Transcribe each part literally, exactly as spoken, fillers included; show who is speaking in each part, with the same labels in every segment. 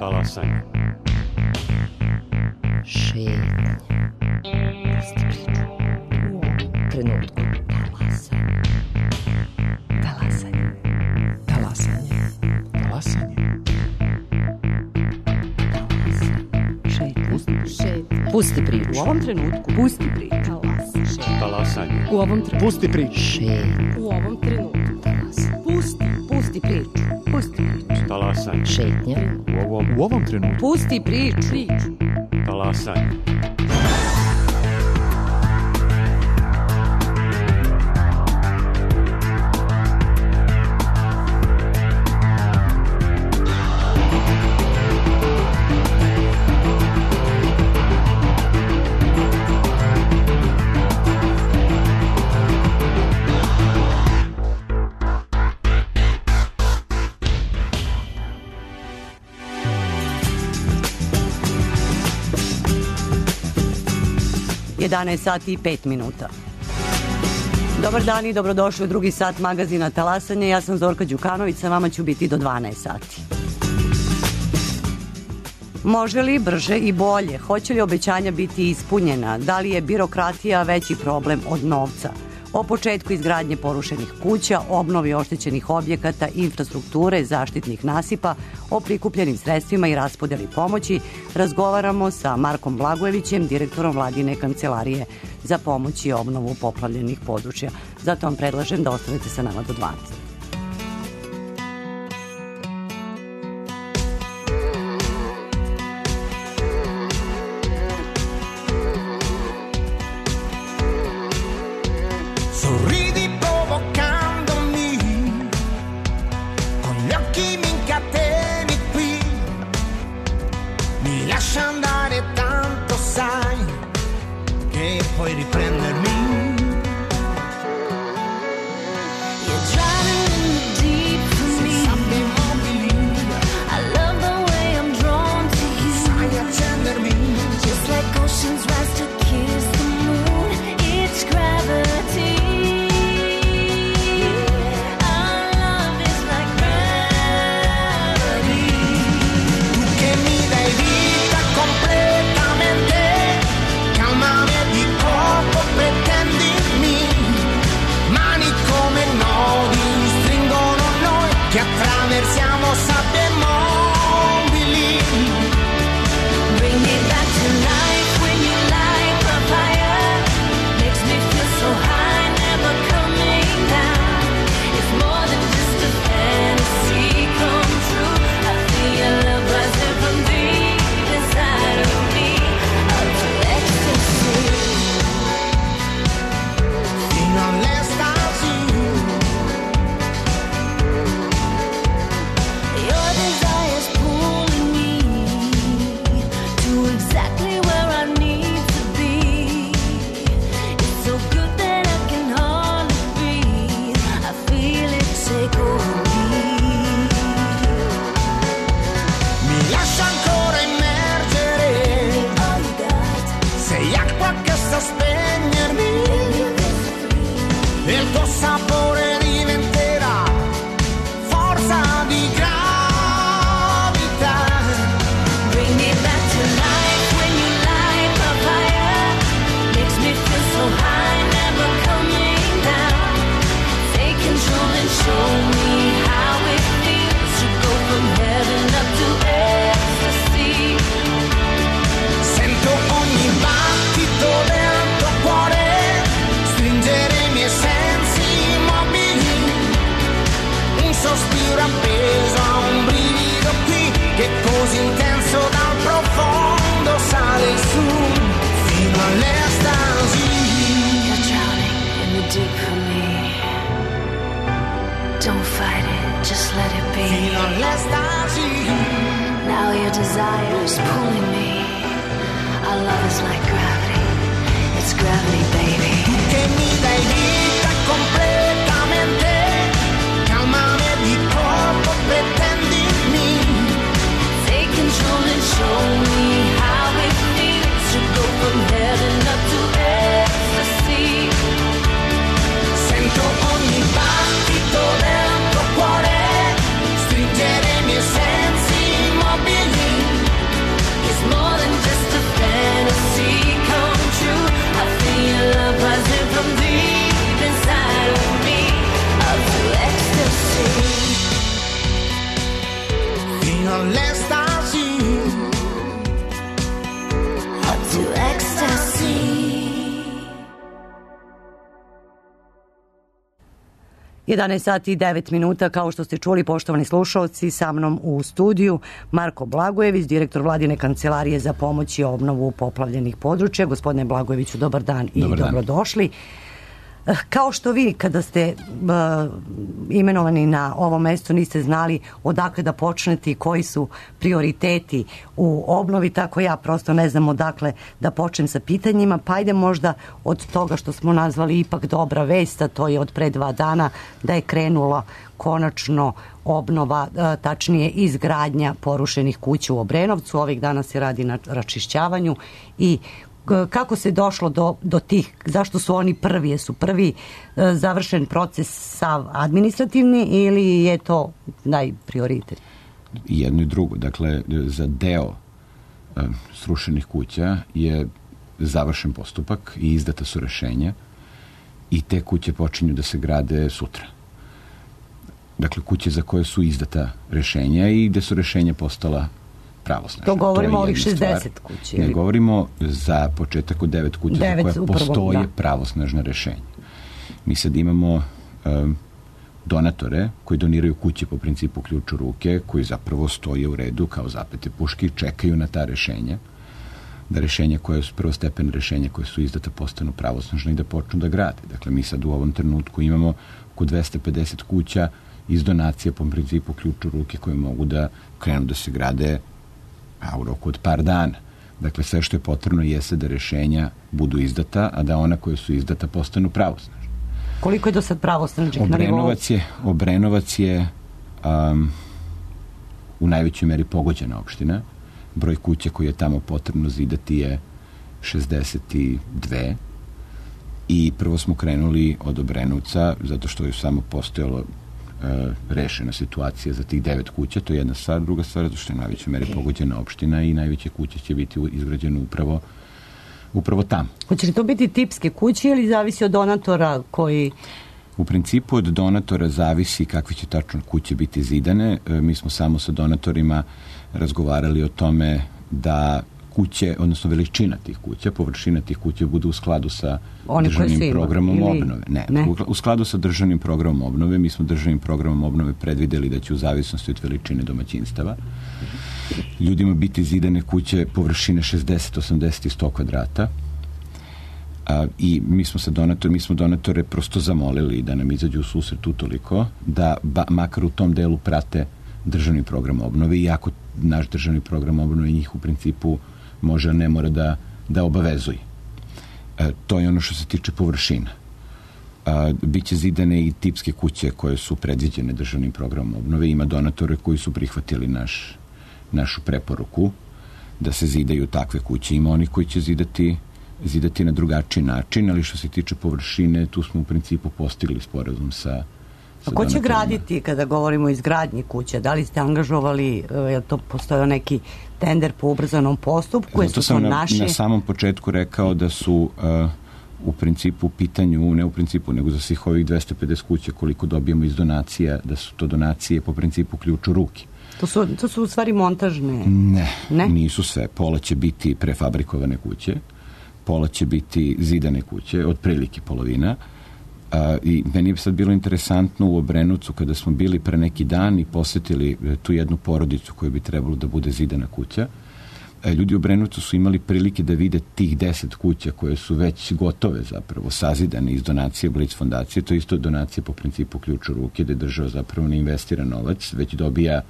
Speaker 1: Talasanje.
Speaker 2: Šetnja. Pusti priču. U ovom trenutku. Talasanje. Talasanje.
Speaker 3: Talasanje.
Speaker 2: Šetnja. Pusti priču.
Speaker 4: U ovom trenutku. Pusti priču.
Speaker 1: Talasanje.
Speaker 4: U ovom trenutku.
Speaker 3: Pusti priču.
Speaker 2: Šetnja.
Speaker 4: U ovom trenutku. Pusti. Pusti priču. Pusti priču.
Speaker 1: Talasanje.
Speaker 2: Šetnja.
Speaker 1: U ovom,
Speaker 3: U ovom trenutku.
Speaker 4: Pusti priču. Priču.
Speaker 1: talasanje.
Speaker 4: jedanaest sati i pet minuta. Dobar dan i dobrodošli u drugi sat magazina Talasanje. Ja sam Zorka Đukanović, sa vama ću biti do dvanaest sati. Može li brže i bolje? Hoće li obećanja biti ispunjena? Da li je birokratija veći problem od novca? O početku izgradnje porušenih kuća, obnovi oštećenih objekata, infrastrukture, zaštitnih nasipa, o prikupljenim sredstvima i raspodeli pomoći razgovaramo sa Markom Blagojevićem, direktorom Vladine kancelarije za pomoć i obnovu poplavljenih područja. Zato vam predlažem da ostanete sa nama do dvanaest.
Speaker 5: Sorridi provocandomi, con gli occhi mi incateni qui, mi lascia andare tanto sai, che puoi riprendermi.
Speaker 6: You're driving in the deep for me.
Speaker 5: Sabbia immobili,
Speaker 6: I love the way I'm drawn to you.
Speaker 5: sai accendermi.
Speaker 6: Just like oceans rise to kiss the moon. It's gravity.
Speaker 5: Che attraversiamo sabbie mobili.
Speaker 6: Bring me back to life when you light my fire. Makes me feel so high, never coming down. It's more than just a fantasy come true. I feel your love rising from deep inside of me. Up to ecstasy.
Speaker 5: Fino all'estasi.
Speaker 6: Your desire's pulling me to exactly where I need to be. It's so good that I can hardly breathe. I feel it take over me.
Speaker 5: Mi lascia ancora immergere.
Speaker 6: All you got,
Speaker 5: Sei acqua che sa spegnermi. E il tuo sapore diventerà forza di gravità.
Speaker 6: bring me back to life when you light my fire. Makes me feel so high, never coming down. Take control and show me how it feels to go from heaven up to ecstasy.
Speaker 5: Sento ogni battito del tuo cuore stringere i miei sensi immobili. Un sospiro appeso a un brivido qui che così intenso dal profondo sale su fino all'estasi.
Speaker 6: You're drowning in the deep for me. Don't fight it, just let it be.
Speaker 5: Fino all'estasi.
Speaker 6: Now your desire is pulling me. Our love is like gravity. It's gravity, baby.
Speaker 5: Che mi dai vita completamente, calmame di corpo, pretendimi.
Speaker 6: Take control and show me how it feels to go from heaven up to ecstasy.
Speaker 5: Sento ogni battito del tuo cuore stringere i miei sensi immobili.
Speaker 4: jedanaest sati i devet minuta, kao što ste čuli, poštovani slušalci, sa mnom u studiju Marko Blagojević, direktor Vladine kancelarije za pomoć i obnovu poplavljenih područja. Gospodine Blagojeviću, dobar dan i
Speaker 3: dobar dan.
Speaker 4: Dobrodošli. Kao što vi, kada ste uh, imenovani na ovo mesto, niste znali odakle da počnete i koji su prioriteti u obnovi, tako ja prosto ne znam odakle da počnem sa pitanjima, pa ajde možda od toga što smo nazvali ipak dobra vest, a to je od pre dva dana da je krenula konačno obnova, uh, tačnije izgradnja porušenih kuća u Obrenovcu. Ovih dana se radi na račišćavanju i kako se došlo do, do tih, zašto su oni prvi, jesu prvi e, završen proces sav administrativni ili je to najprioritet?
Speaker 3: Jedno i drugo. Dakle, za deo e, srušenih kuća je završen postupak i izdata su rešenja i te kuće počinju da se grade sutra. Dakle, kuće za koje su izdata rešenja i gde su rešenja postala pravosnažna.
Speaker 4: To govorimo o ovih
Speaker 3: jedna stvar.
Speaker 4: šezdeset kuća.
Speaker 3: Ne, govorimo za početak od devet kuća
Speaker 4: devet,
Speaker 3: za koje
Speaker 4: upravo,
Speaker 3: postoje
Speaker 4: da.
Speaker 3: pravosnažna rešenja. Mi sad imamo um, donatore koji doniraju kuće po principu ključ u ruke, koji zapravo stoje u redu kao zapete puške i čekaju na ta rešenja, da rešenja koje su prvostepene rešenja koje su izdata postanu pravosnažne i da počnu da grade. Dakle, mi sad u ovom trenutku imamo oko dvesta pedeset kuća iz donacija po principu ključ u ruke koje mogu da krenu da se grade a u roku od par dana. Dakle, sve što je potrebno jeste da rešenja budu izdata, a da ona koje su izdata postanu pravosnažne.
Speaker 4: Koliko je do sad pravosnažnih na nivou?
Speaker 3: Obrenovac je, Obrenovac je um, u najvećoj meri pogođena opština. Broj kuća koji je tamo potrebno zidati je šezdeset dve i prvo smo krenuli od Obrenovca zato što je samo postojalo rešena situacija za tih devet kuća, to je jedna stvar. Druga stvar, zato što je najveća meri pogođena opština i najveće kuće će biti izgrađene upravo upravo tamo.
Speaker 4: Hoće li to biti tipske kuće ili zavisi od donatora koji...
Speaker 3: U principu od donatora zavisi kakve će tačno kuće biti zidane. Mi smo samo sa donatorima razgovarali o tome da kuće, odnosno veličina tih kuća, površina tih kuća bude u skladu sa
Speaker 4: Oni
Speaker 3: državnim programom
Speaker 4: ili...
Speaker 3: obnove. Ne,
Speaker 4: ne,
Speaker 3: u skladu sa državnim programom obnove. Mi smo državnim programom obnove predvideli da će u zavisnosti od veličine domaćinstava ljudima biti zidane kuće površine šezdeset, osamdeset i sto kvadrata. A, i mi smo sa donator, mi smo donatore prosto zamolili da nam izađu u susret utoliko da ba, makar u tom delu prate državni program obnove, iako naš državni program obnove njih u principu može, a ne mora da, da obavezuje. E, to je ono što se tiče površina. A, biće zidane i tipske kuće koje su predviđene državnim programom obnove. Ima donatore koji su prihvatili naš, našu preporuku da se zidaju takve kuće. Ima oni koji će zidati zidati na drugačiji način, ali što se tiče površine, tu smo u principu postigli sporazum sa
Speaker 4: A ko će graditi kada govorimo o izgradnji kuće? Da li ste angažovali, je to postojao neki tender po ubrzanom postupku?
Speaker 3: Zato sam na, naši... na samom početku rekao da su uh, u principu u pitanju, ne u principu, nego za svih ovih dvesta pedeset kuća koliko dobijemo iz donacija, da su to donacije po principu ključ u ruke.
Speaker 4: To su, to su u stvari montažne?
Speaker 3: Ne,
Speaker 4: ne,
Speaker 3: nisu sve. Pola će biti prefabrikovane kuće, pola će biti zidane kuće, otprilike polovina. Uh, I meni je sad bilo interesantno u Obrenovcu kada smo bili pre neki dan i posetili tu jednu porodicu koju bi trebalo da bude zidana kuća. Uh, ljudi u Obrenovcu su imali prilike da vide tih deset kuća koje su već gotove zapravo, sazidane iz donacije Blic fondacije. To je isto donacija po principu ključ u ruke, gde država zapravo ne investira novac, već dobija,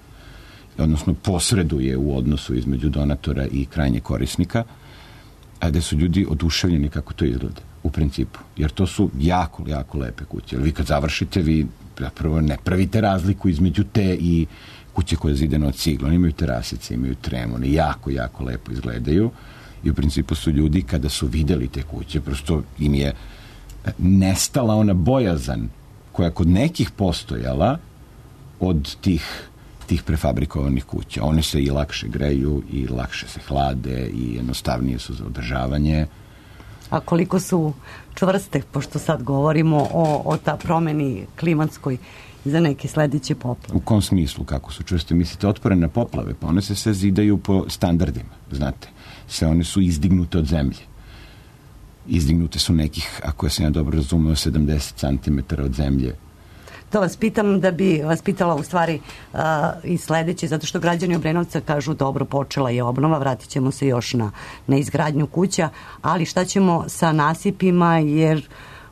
Speaker 3: odnosno posreduje u odnosu između donatora i krajnjeg korisnika, a gde su ljudi oduševljeni kako to izgleda u principu, jer to su jako, jako lepe kuće. Vi kad završite, vi zapravo ne pravite razliku između te i kuće koje je zidane od cigla. Oni imaju terasice, imaju tremone, jako, jako lepo izgledaju i u principu su ljudi kada su videli te kuće, prosto im je nestala ona bojazan koja kod nekih postojala od tih tih prefabrikovanih kuća. One se i lakše greju i lakše se hlade i jednostavnije su za održavanje.
Speaker 4: A koliko su čvrste, pošto sad govorimo o, o ta promeni klimatskoj za neke sledeće poplave?
Speaker 3: U kom smislu, kako su čvrste? Mislite, otporene na poplave? Pa one se sve zidaju po standardima, znate. Sve one su izdignute od zemlje. Izdignute su nekih, ako ja sam ja dobro razumeo, sedamdeset centimetara od zemlje.
Speaker 4: To vas pitam da bi vas pitala u stvari uh, i sledeće, zato što građani Obrenovca kažu dobro, počela je obnova, vratit ćemo se još na, na izgradnju kuća, ali šta ćemo sa nasipima, jer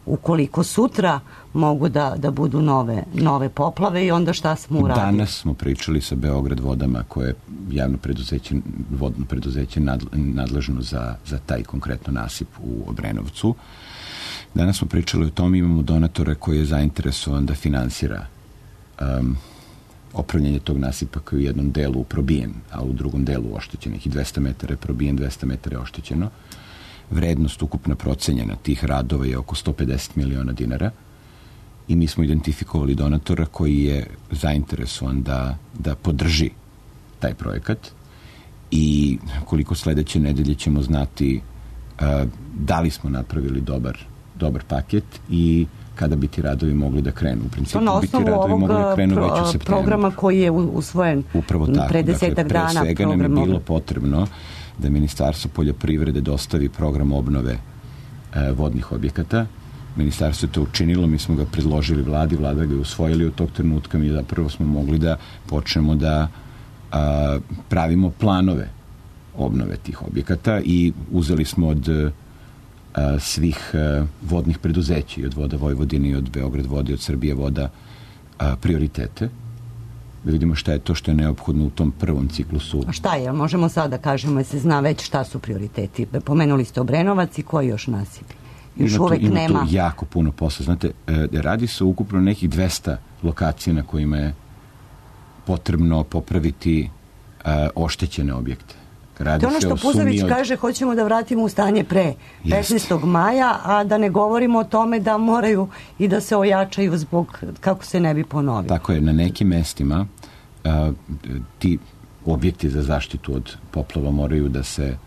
Speaker 4: ukoliko sutra mogu da, da budu nove, nove poplave i onda šta smo uradili?
Speaker 3: Danas smo pričali sa Beograd vodama, koje je javno preduzeće, vodno preduzeće nadležno za, za taj konkretno nasip u Obrenovcu. Danas smo pričali o tom, imamo donatore koji je zainteresovan da finansira um, opravljanje tog nasipa koji je u jednom delu probijen, a u drugom delu oštećen. I dvesta metara je probijen, dvesta metara je oštećeno. Vrednost ukupna procenjena tih radova je oko sto pedeset miliona dinara i mi smo identifikovali donatora koji je zainteresovan da, da podrži taj projekat i koliko sledeće nedelje ćemo znati uh, da li smo napravili dobar dobar paket i kada bi ti radovi mogli da krenu. U principu
Speaker 4: to na
Speaker 3: bi ti
Speaker 4: osnovu
Speaker 3: radovi
Speaker 4: ovog
Speaker 3: mogli da krenu
Speaker 4: pro,
Speaker 3: već u septembru.
Speaker 4: Programa koji je usvojen
Speaker 3: Upravo tako.
Speaker 4: pre desetak
Speaker 3: dakle,
Speaker 4: dana.
Speaker 3: Pre svega
Speaker 4: program
Speaker 3: nam je bilo potrebno da Ministarstvo poljoprivrede dostavi program obnove e, vodnih objekata. Ministarstvo je to učinilo, mi smo ga predložili vladi, vlada ga je usvojili od tog trenutka, mi zapravo smo mogli da počnemo da a, pravimo planove obnove tih objekata i uzeli smo od a, svih a, vodnih preduzeća, i od Voda Vojvodine, i od Beograd vode, i od Srbije voda, a, prioritete. Da vidimo šta je to što je neophodno u tom prvom ciklusu.
Speaker 4: A šta je? Možemo sad da kažemo, jer se zna već šta su prioriteti. Pomenuli ste Obrenovac i koji još nasipi? Još
Speaker 3: ima
Speaker 4: uvek
Speaker 3: tu, ima
Speaker 4: nema.
Speaker 3: tu jako puno posla. Znate, e, radi se ukupno nekih dvesta lokacija na kojima je potrebno popraviti e, oštećene objekte. Radi
Speaker 4: To je ono što Puzović od... kaže, hoćemo da vratimo u stanje pre petnaestog maja, a da ne govorimo o tome da moraju i da se ojačaju zbog kako se ne bi ponovilo.
Speaker 3: Tako je, na nekim mestima a, ti objekti za zaštitu od poplava moraju da se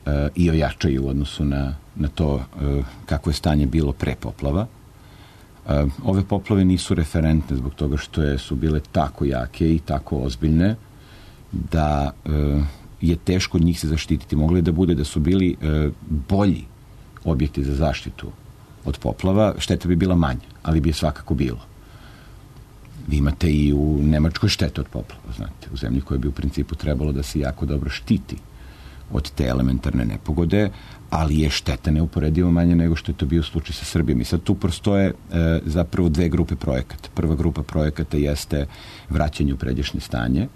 Speaker 3: a, i ojačaju u odnosu na, na to a, kako je stanje bilo pre poplava. A, ove poplave nisu referentne zbog toga što je, su bile tako jake i tako ozbiljne da a, je teško od njih se zaštititi. Moglo je da bude da su bili e, bolji objekti za zaštitu od poplava, šteta bi bila manja, ali bi je svakako bilo. Vi imate i u Nemačkoj štete od poplava, znate, u zemlji koja bi u principu trebalo da se jako dobro štiti od te elementarne nepogode, ali je šteta neuporedivo manja nego što je to bio slučaj sa Srbijom. I sad tu prostoje e, zapravo dve grupe projekata. Prva grupa projekata jeste vraćanje u pređašnje stanje,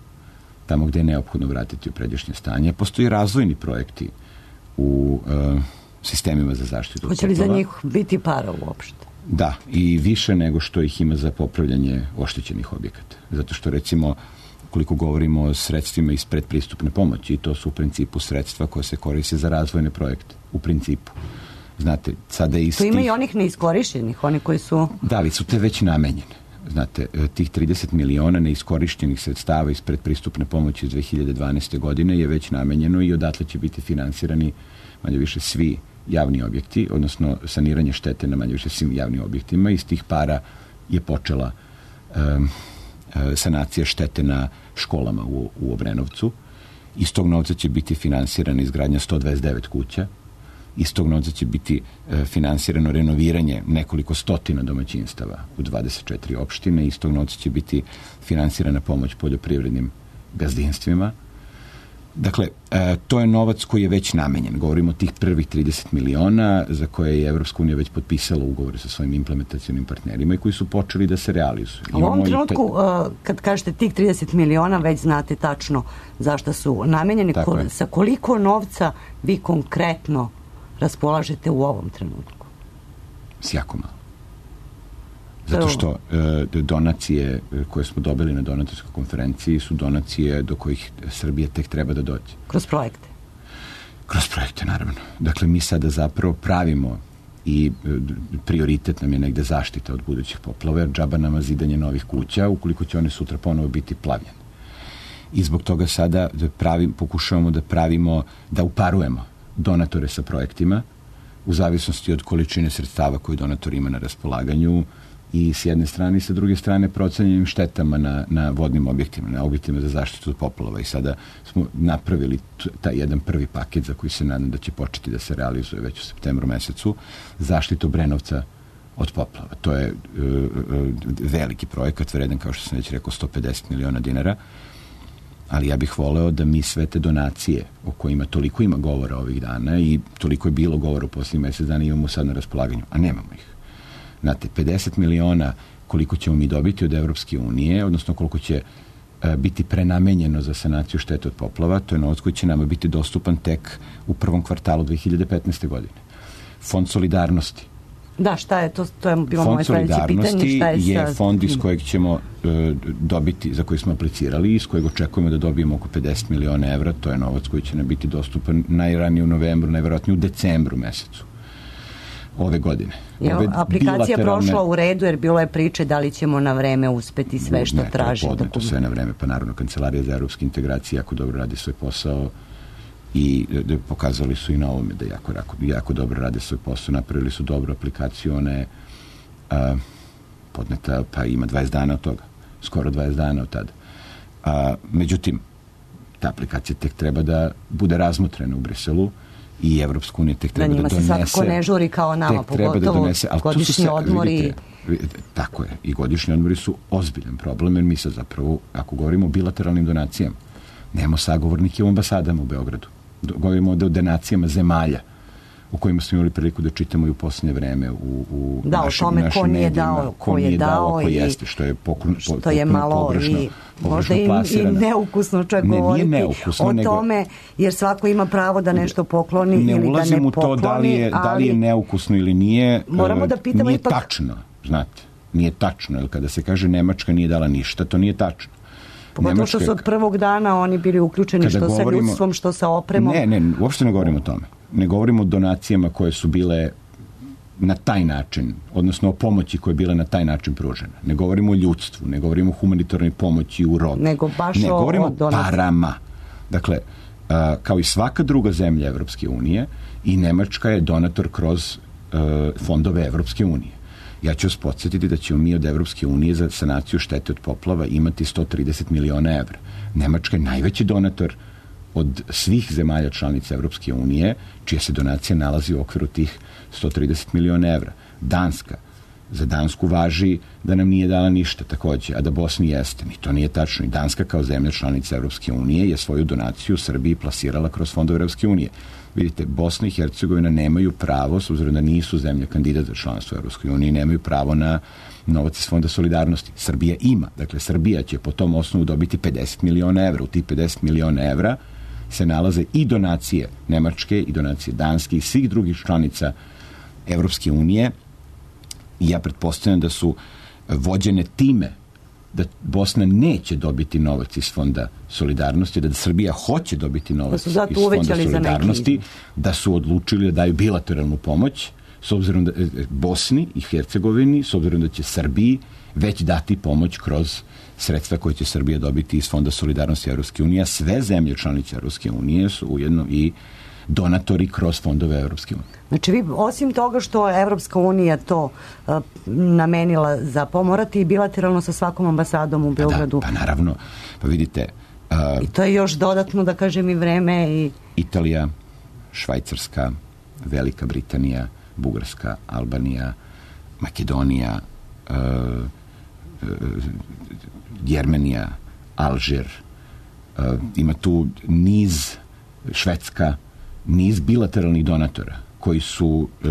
Speaker 3: tamo gde je neophodno vratiti u pređašnje stanje. Postoji razvojni projekti u uh, sistemima za zaštitu.
Speaker 4: Hoće li za njih biti para uopšte?
Speaker 3: Da, i više nego što ih ima za popravljanje oštećenih objekata. Zato što, recimo, koliko govorimo o sredstvima iz predpristupne pomoći, i to su u principu sredstva koje se koriste za razvojne projekte. U principu. Znate, sada iz
Speaker 4: To ima
Speaker 3: tih...
Speaker 4: i onih neiskorišćenih, oni koji su...
Speaker 3: Da, li su te već namenjene. Znate, tih trideset miliona neiskorišćenih sredstava iz predpristupne pomoći iz dve hiljade dvanaeste. godine je već namenjeno i odatle će biti finansirani manje više svi javni objekti, odnosno saniranje štete na manje više svim javnim objektima. Iz tih para je počela um, sanacija štete na školama u, u Obrenovcu. Iz tog novca će biti finansirana izgradnja sto dvadeset devet kuća. Iz tog novca će biti e, finansirano renoviranje nekoliko stotina domaćinstava u dvadeset četiri opštine. Iz tog novca će biti finansirana pomoć poljoprivrednim gazdinstvima. Dakle, e, to je novac koji je već namenjen. Govorimo o tih prvih trideset miliona za koje je Evropska unija već potpisala ugovore sa svojim implementacionim partnerima i koji su počeli da se realizuju.
Speaker 4: A u ovom trenutku, taj... kad kažete tih trideset miliona, već znate tačno zašto su namenjeni. Ko, sa koliko novca vi konkretno raspolažete u ovom trenutku?
Speaker 3: S jako malo. Zato što e, donacije koje smo dobili na donatorskoj konferenciji su donacije do kojih Srbija tek treba da dođe.
Speaker 4: Kroz projekte?
Speaker 3: Kroz projekte, naravno. Dakle, mi sada zapravo pravimo i e, prioritet nam je negde zaštita od budućih poplava, jer džaba nama zidanje novih kuća ukoliko će one sutra ponovo biti plavljene. I zbog toga sada pravim, pokušavamo da pravimo, da uparujemo donatore sa projektima u zavisnosti od količine sredstava koje donator ima na raspolaganju i s jedne strane i sa druge strane procenjenim štetama na, na vodnim objektima, na objektima za zaštitu od poplava. I sada smo napravili taj jedan prvi paket za koji se nadam da će početi da se realizuje već u septembru mesecu, zaštitu Obrenovca od poplava. To je uh, uh, veliki projekat, vredan, kao što sam već rekao, sto pedeset miliona dinara, ali ja bih voleo da mi sve te donacije o kojima toliko ima govora ovih dana i toliko je bilo govora u posljednjih mjesec dana imamo sad na raspolaganju, a nemamo ih. Znate, pedeset miliona koliko ćemo mi dobiti od Evropske unije, odnosno koliko će uh, biti prenamenjeno za sanaciju štete od poplava, to je novac koji će nama biti dostupan tek u prvom kvartalu dve hiljade petnaeste. godine. Fond solidarnosti.
Speaker 4: Da, šta je to? To je bilo
Speaker 3: Fond
Speaker 4: moje sledeće pitanje.
Speaker 3: solidarnosti
Speaker 4: Šta je,
Speaker 3: je
Speaker 4: sa...
Speaker 3: fond iz kojeg ćemo uh, dobiti, za koji smo aplicirali, iz kojeg očekujemo da dobijemo oko pedeset miliona evra. To je novac koji će nam biti dostupan najranije u novembru, najverovatnije u decembru mesecu ove godine.
Speaker 4: Je,
Speaker 3: ove
Speaker 4: aplikacija
Speaker 3: bilateralne...
Speaker 4: prošla u redu jer bilo je priče da li ćemo na vreme uspeti sve što
Speaker 3: ne,
Speaker 4: traži.
Speaker 3: Ne, to je podneto sve na vreme, pa naravno Kancelarija za evropske integracije jako dobro radi svoj posao i da, pokazali su i na ovome da jako, jako, jako dobro rade svoj posao, napravili su dobru aplikaciju, ona je a, podneta, pa ima dvadeset dana od toga, skoro dvadeset dana od tada. A, međutim, ta aplikacija tek treba da bude razmotrena u Briselu i Evropska unija tek treba da,
Speaker 4: da
Speaker 3: donese.
Speaker 4: Da njima se svakako ne žuri kao nama, pogotovo da donese, godišnji odmori.
Speaker 3: Vidite, vidite, tako je, i godišnji odmori su ozbiljan problem, jer mi sad zapravo, ako govorimo o bilateralnim donacijama, nemamo sagovornike u ambasadama u Beogradu. Govorimo o donacijama zemalja u kojima smo imali priliku da čitamo i u posljednje vreme u, u
Speaker 4: da,
Speaker 3: našim,
Speaker 4: o tome
Speaker 3: našim
Speaker 4: ko nije
Speaker 3: medijima,
Speaker 4: dao, ko,
Speaker 3: ko
Speaker 4: je
Speaker 3: nije
Speaker 4: dao,
Speaker 3: dao, ko
Speaker 4: i
Speaker 3: jeste, što je pokru,
Speaker 4: što je malo
Speaker 3: pogrešno,
Speaker 4: i
Speaker 3: pogrešno
Speaker 4: možda i, i neukusno čak
Speaker 3: ne,
Speaker 4: govoriti
Speaker 3: neukusno,
Speaker 4: o
Speaker 3: nego,
Speaker 4: tome, jer svako ima pravo da nešto pokloni
Speaker 3: ne
Speaker 4: ili da ne pokloni. Ne ulazim u to
Speaker 3: da li je, da li je neukusno ili nije.
Speaker 4: Moramo da pitamo
Speaker 3: nije
Speaker 4: ipak...
Speaker 3: tačno, znate, nije tačno, jer kada se kaže Nemačka nije dala ništa, to nije tačno.
Speaker 4: Pogotovo što su od prvog dana oni bili uključeni što govorimo, sa ljudstvom, što sa opremom.
Speaker 3: Ne, ne, uopšte ne govorimo o tome. Ne govorimo o donacijama koje su bile na taj način, odnosno o pomoći koja je bila na taj način pružena. Ne govorimo o ljudstvu, ne govorimo o humanitarnoj pomoći u rodu.
Speaker 4: Nego baš
Speaker 3: ne,
Speaker 4: o,
Speaker 3: govorimo
Speaker 4: o
Speaker 3: o parama. Dakle, a, kao i svaka druga zemlja Evropske unije, i Nemačka je donator kroz a, fondove Evropske unije. Ja ću vas podsjetiti da ćemo mi od Evropske unije za sanaciju štete od poplava imati sto trideset miliona evra. Nemačka je najveći donator od svih zemalja članica Evropske unije, čija se donacija nalazi u okviru tih sto trideset miliona evra. Danska. Za Dansku važi da nam nije dala ništa takođe, a da Bosni jeste. Ni to nije tačno. I Danska kao zemlja članica Evropske unije je svoju donaciju Srbiji plasirala kroz fondove Evropske unije. Vidite, Bosna i Hercegovina nemaju pravo, s obzirom da nisu zemlja kandidat za članstvo Evropske unije, nemaju pravo na novac iz Fonda solidarnosti. Srbija ima. Dakle, Srbija će po tom osnovu dobiti pedeset miliona evra. U tih pedeset miliona evra se nalaze i donacije Nemačke, i donacije Danske i svih drugih članica Evropske unije. I ja pretpostavljam da su vođene time da Bosna neće dobiti novac iz Fonda solidarnosti, da Srbija hoće dobiti novac iz Fonda solidarnosti, da su odlučili da daju bilateralnu pomoć, s obzirom da Bosni i Hercegovini, s obzirom da će Srbiji već dati pomoć kroz sredstva koje će Srbija dobiti iz Fonda solidarnosti Evropske unije, a sve zemlje članice Evropske unije su ujedno i donatori kroz fondove Evropske unije.
Speaker 4: Znači vi, osim toga što Evropska unija to uh, namenila za pomorati i bilateralno sa svakom ambasadom u Beogradu.
Speaker 3: Pa da, pa naravno. Pa vidite... Uh,
Speaker 4: I to je još dodatno, da kažem, i vreme i...
Speaker 3: Italija, Švajcarska, Velika Britanija, Bugarska, Albanija, Makedonija, uh, uh, Jermenija, Alžir, uh, ima tu niz, Švedska, niz bilateralnih donatora koji su uh,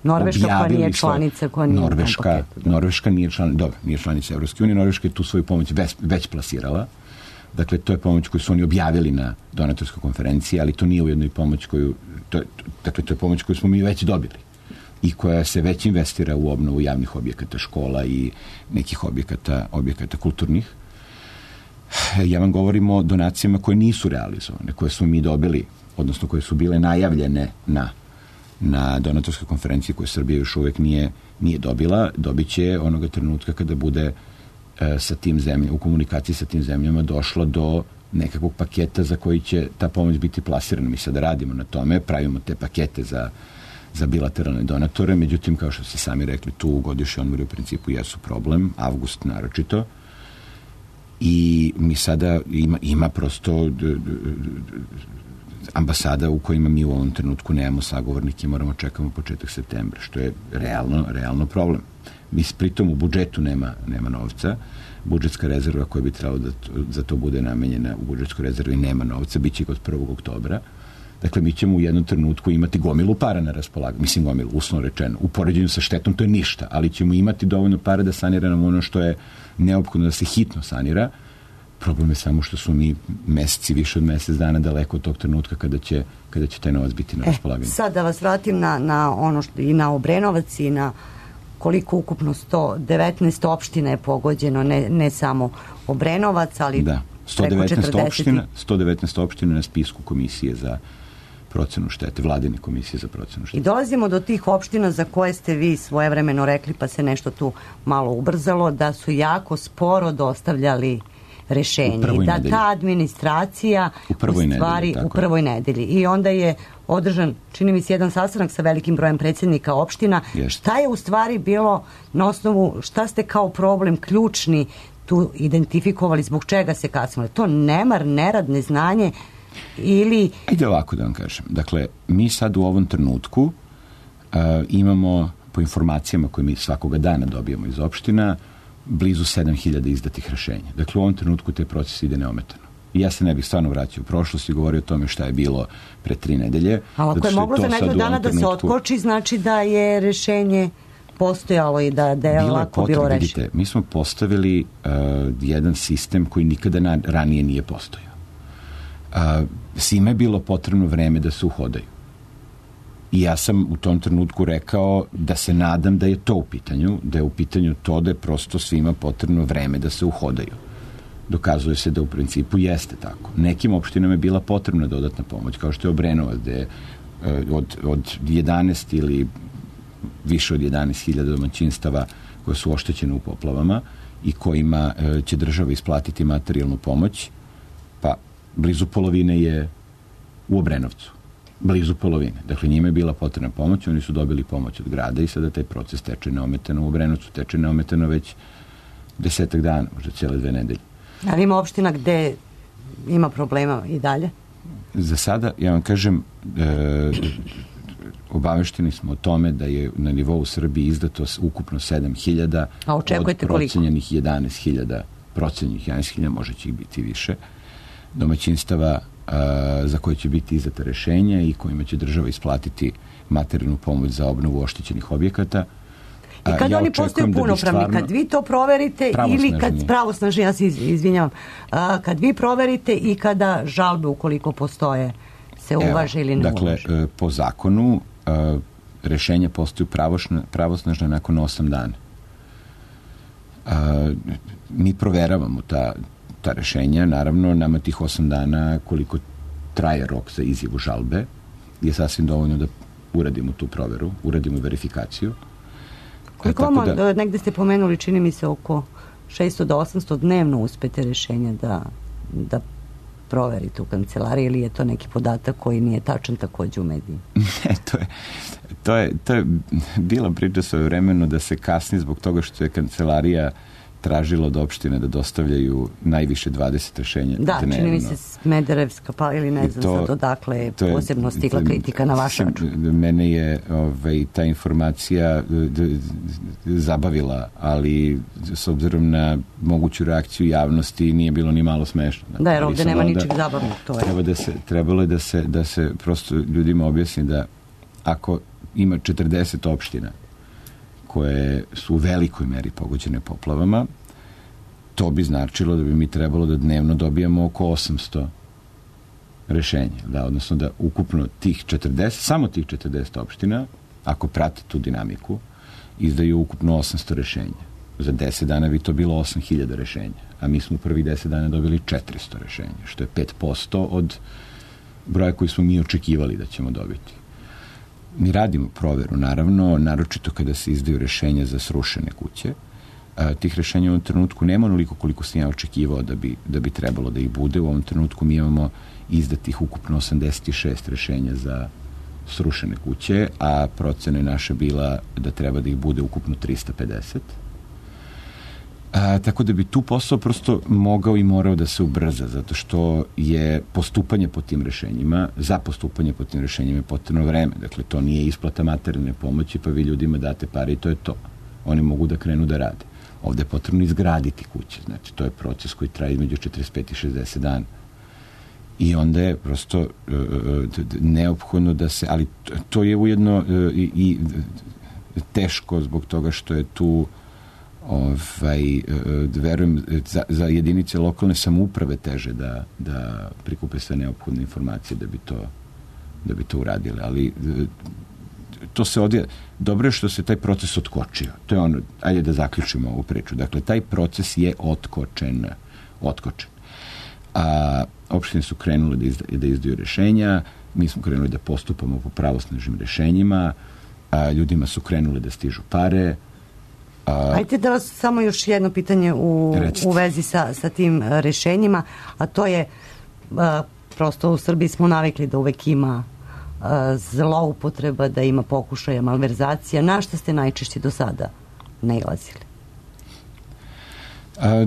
Speaker 4: Norveška koja nije članica, koja nije
Speaker 3: Norveška,
Speaker 4: paketu,
Speaker 3: Norveška nije članica, dobro, nije članica Evropske unije, Norveška je tu svoju pomoć već, već plasirala. Dakle, to je pomoć koju su oni objavili na donatorskoj konferenciji, ali to nije ujedno i pomoć koju, to, dakle, to je pomoć koju smo mi već dobili i koja se već investira u obnovu javnih objekata, škola i nekih objekata, objekata kulturnih. Ja vam govorim o donacijama koje nisu realizovane, koje smo mi dobili, odnosno koje su bile najavljene na, na donatorskoj konferenciji koju Srbija još uvek nije, nije dobila. Dobit će onoga trenutka kada bude e, sa tim zemljama, u komunikaciji sa tim zemljama došlo do nekakvog paketa za koji će ta pomoć biti plasirana. Mi sada radimo na tome, pravimo te pakete za, za bilateralne donatore, međutim, kao što ste sami rekli, tu godišnji odmori u principu jesu problem, avgust naročito, i mi sada ima, ima prosto d, d, d, ambasada u kojima mi u ovom trenutku nemamo sagovornike, moramo čekamo početak septembra, što je realno, realno problem. Mi pritom u budžetu nema, nema novca, budžetska rezerva koja bi trebalo da to, za to bude namenjena u budžetskoj rezervi nema novca, bit će od prvog oktobra. Dakle, mi ćemo u jednom trenutku imati gomilu para na raspolaganju, mislim gomilu, uslovno rečeno, u poređenju sa štetom to je ništa, ali ćemo imati dovoljno para da saniramo ono što je neophodno da se hitno sanira. Problem je samo što su mi meseci, više od mesec dana daleko od tog trenutka kada će, kada će taj novac biti na raspolaganju.
Speaker 4: E, sad da vas vratim na, na ono što i na Obrenovac i na koliko ukupno sto devetnaest opština je pogođeno, ne, ne samo Obrenovac, ali
Speaker 3: da, sto devetnaest opština, sto devetnaest opština na spisku komisije za procenu štete, vladine komisije za procenu štete.
Speaker 4: I dolazimo do tih opština za koje ste vi svojevremeno rekli, pa se nešto tu malo ubrzalo, da su jako sporo dostavljali rešenje. Da
Speaker 3: nedelji.
Speaker 4: Ta administracija
Speaker 3: u prvoj
Speaker 4: u stvari
Speaker 3: nedelji,
Speaker 4: u prvoj nedelji. I onda je održan, čini mi se, jedan sastanak sa velikim brojem predsjednika opština.
Speaker 3: Jeste.
Speaker 4: Šta je u stvari bilo na osnovu, šta ste kao problem ključni tu identifikovali, zbog čega se kasnilo? To nemar, nerad, neznanje ili...
Speaker 3: Ajde ovako da vam kažem. Dakle, mi sad u ovom trenutku uh, imamo, po informacijama koje mi svakoga dana dobijamo iz opština, blizu sedam hiljada izdatih rešenja. Dakle, u ovom trenutku taj proces ide neometano. I ja se ne bih stvarno vraćao u prošlost i govorio o tome šta je bilo pre tri nedelje.
Speaker 4: Ali ako je moglo za nekog dana da se otkoči, znači da je rešenje postojalo i da, da je
Speaker 3: bilo
Speaker 4: lako
Speaker 3: potrebe,
Speaker 4: bilo rešeno.
Speaker 3: Vidite, mi smo postavili uh, jedan sistem koji nikada na, ranije nije postojao. Uh, svima je bilo potrebno vreme da se uhodaju. I ja sam u tom trenutku rekao da se nadam da je to u pitanju, da je u pitanju to da je prosto svima potrebno vreme da se uhodaju. Dokazuje se da u principu jeste tako. Nekim opštinama je bila potrebna dodatna pomoć, kao što je Obrenovac, gde je od, od jedanaest ili više od jedanaest hiljada domaćinstava koje su oštećene u poplavama i kojima će država isplatiti materijalnu pomoć, pa blizu polovine je u Obrenovcu. Blizu polovine. Dakle, njima je bila potrebna pomoć, oni su dobili pomoć od grada i sada taj proces teče neometano u Obrenovcu, teče neometano već desetak dana, možda cijele dve nedelje.
Speaker 4: Ali ima opština gde ima problema i dalje?
Speaker 3: Za sada, ja vam kažem, e, obavešteni smo o tome da je na nivou Srbije izdato ukupno sedam hiljada od procenjenih jedanaest hiljada, procenjenih jedanaest hiljada, možda će ih biti više, domaćinstava a, za koje će biti izdata rešenja i kojima će država isplatiti materijalnu pomoć za obnovu oštećenih objekata.
Speaker 4: I kad ja oni postaju punopravni, stvarno... kad vi to proverite ili kad pravosnažni, ja se izvinjavam, a, kad vi proverite i kada žalbe ukoliko postoje se uvaže ili ne
Speaker 3: dakle,
Speaker 4: uvaže?
Speaker 3: Dakle, po zakonu a, rešenja postaju pravosnažna nakon osam dana. A, mi proveravamo ta, ta rešenja, naravno nama tih osam dana koliko traje rok za izjavu žalbe je sasvim dovoljno da uradimo tu proveru, uradimo verifikaciju.
Speaker 4: Koliko vam, da, negde ste pomenuli, čini mi se oko šesto do osamsto dnevno uspete rešenja da, da proverite u kancelariji ili je to neki podatak koji nije tačan takođe u mediji?
Speaker 3: Ne, to je, to je, to je bila priča svoje vremeno da se kasni zbog toga što je kancelarija tražila od opštine da dostavljaju najviše dvadeset rešenja
Speaker 4: da,
Speaker 3: dnevno.
Speaker 4: Čini mi se Smederevska, pa ili ne znam to, sad odakle je posebno stigla kritika na vaš račun.
Speaker 3: Mene je ovaj, ta informacija d, d, zabavila, ali s obzirom na moguću reakciju javnosti nije bilo ni malo smešno.
Speaker 4: Da, jer ovde nema ničeg zabavnog. To je.
Speaker 3: Treba da se, trebalo je da se, da se prosto ljudima objasni da ako ima četrdeset opština koje su u velikoj meri pogođene poplavama, to bi značilo da bi mi trebalo da dnevno dobijamo oko osamsto rešenja. Da, odnosno da ukupno tih četrdeset, samo tih četrdeset opština, ako prate tu dinamiku, izdaju ukupno osamsto rešenja. Za deset dana bi to bilo osam hiljada rešenja, a mi smo u prvih deset dana dobili četiristo rešenja, što je pet posto od broja koji smo mi očekivali da ćemo dobiti. Mi radimo proveru, naravno, naročito kada se izdaju rešenja za srušene kuće. A, tih rešenja u ovom trenutku nema onoliko koliko sam ja očekivao da bi, da bi trebalo da ih bude. U ovom trenutku mi imamo izdatih ukupno osamdeset šest rešenja za srušene kuće, a procena je naša bila da treba da ih bude ukupno trista pedeset. A, tako da bi tu posao prosto mogao i morao da se ubrza, zato što je postupanje po tim rešenjima, za postupanje po tim rešenjima je potrebno vreme. Dakle, to nije isplata materijalne pomoći, pa vi ljudima date pare i to je to. Oni mogu da krenu da rade. Ovde je potrebno izgraditi kuće. Znači, to je proces koji traje između četrdeset pet i šezdeset dana. I onda je prosto uh, neophodno da se, ali to je ujedno uh, i, i teško zbog toga što je tu ovaj, verujem, za, za jedinice lokalne samouprave teže da, da prikupe sve neophodne informacije da bi to, da bi to uradile. Ali to se odje, dobro je što se taj proces otkočio. To je ono, ajde da zaključimo ovu priču. Dakle, taj proces je otkočen. Otkočen. A opštine su krenule da, izda, da izdaju rešenja, mi smo krenuli da postupamo po pravosnažnim rešenjima, a ljudima su krenule da stižu pare. A,
Speaker 4: Ajde da vas samo još jedno pitanje u, u vezi sa, sa tim rešenjima, a to je a, prosto u Srbiji smo navikli da uvek ima a, zloupotreba, da ima pokušaja malverzacija. Na šta ste najčešće do sada nailazili?
Speaker 3: A,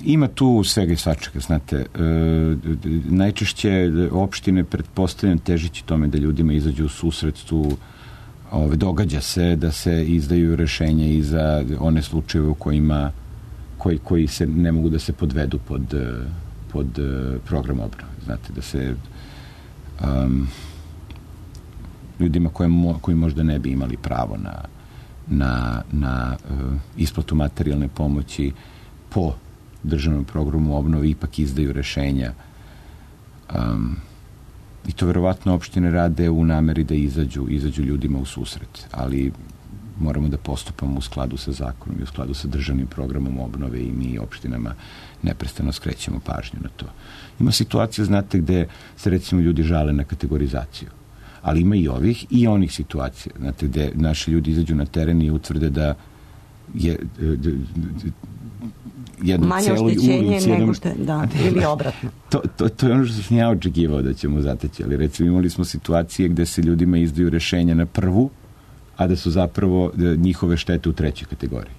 Speaker 3: ima tu svega i svačega, znate. E, najčešće opštine pretpostavljam težići tome da ljudima izađu u susret tu. Ove, događa se da se izdaju rešenja i za one slučajeve u kojima koji, koji se ne mogu da se podvedu pod, pod program obnove. Znate, da se um, ljudima koje mo, koji možda ne bi imali pravo na, na, na uh, isplatu materijalne pomoći po državnom programu obnove ipak izdaju rešenja. Um, I to verovatno opštine rade u nameri da izađu, izađu ljudima u susret, ali moramo da postupamo u skladu sa zakonom i u skladu sa državnim programom obnove i mi opštinama neprestano skrećemo pažnju na to. Ima situacija, znate, gde se recimo ljudi žale na kategorizaciju, ali ima i ovih i onih situacija, znate, gde naši ljudi izađu na teren i utvrde da je jednu
Speaker 4: manje
Speaker 3: celu
Speaker 4: oštećenje
Speaker 3: ulicu,
Speaker 4: nego što je, da, ili obratno.
Speaker 3: To, to, to je ono što sam ja očekivao da ćemo zateći, ali recimo imali smo situacije gde se ljudima izdaju rešenja na prvu, a da su zapravo njihove štete u trećoj kategoriji.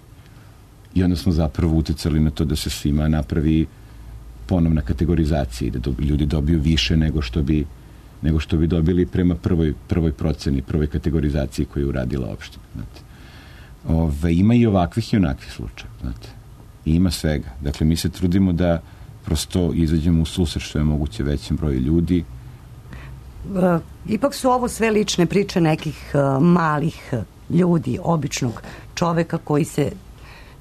Speaker 3: I onda smo zapravo uticali na to da se svima napravi ponovna kategorizacija i da do, ljudi dobiju više nego što bi nego što bi dobili prema prvoj, prvoj proceni, prvoj kategorizaciji koju je uradila opština. Znate. Ove, ima i ovakvih i onakvih slučaja. Znate. I ima svega. Dakle, mi se trudimo da prosto izađemo u susret što je moguće većem broju ljudi.
Speaker 4: Ipak su ovo sve lične priče nekih uh, malih ljudi, običnog čoveka koji se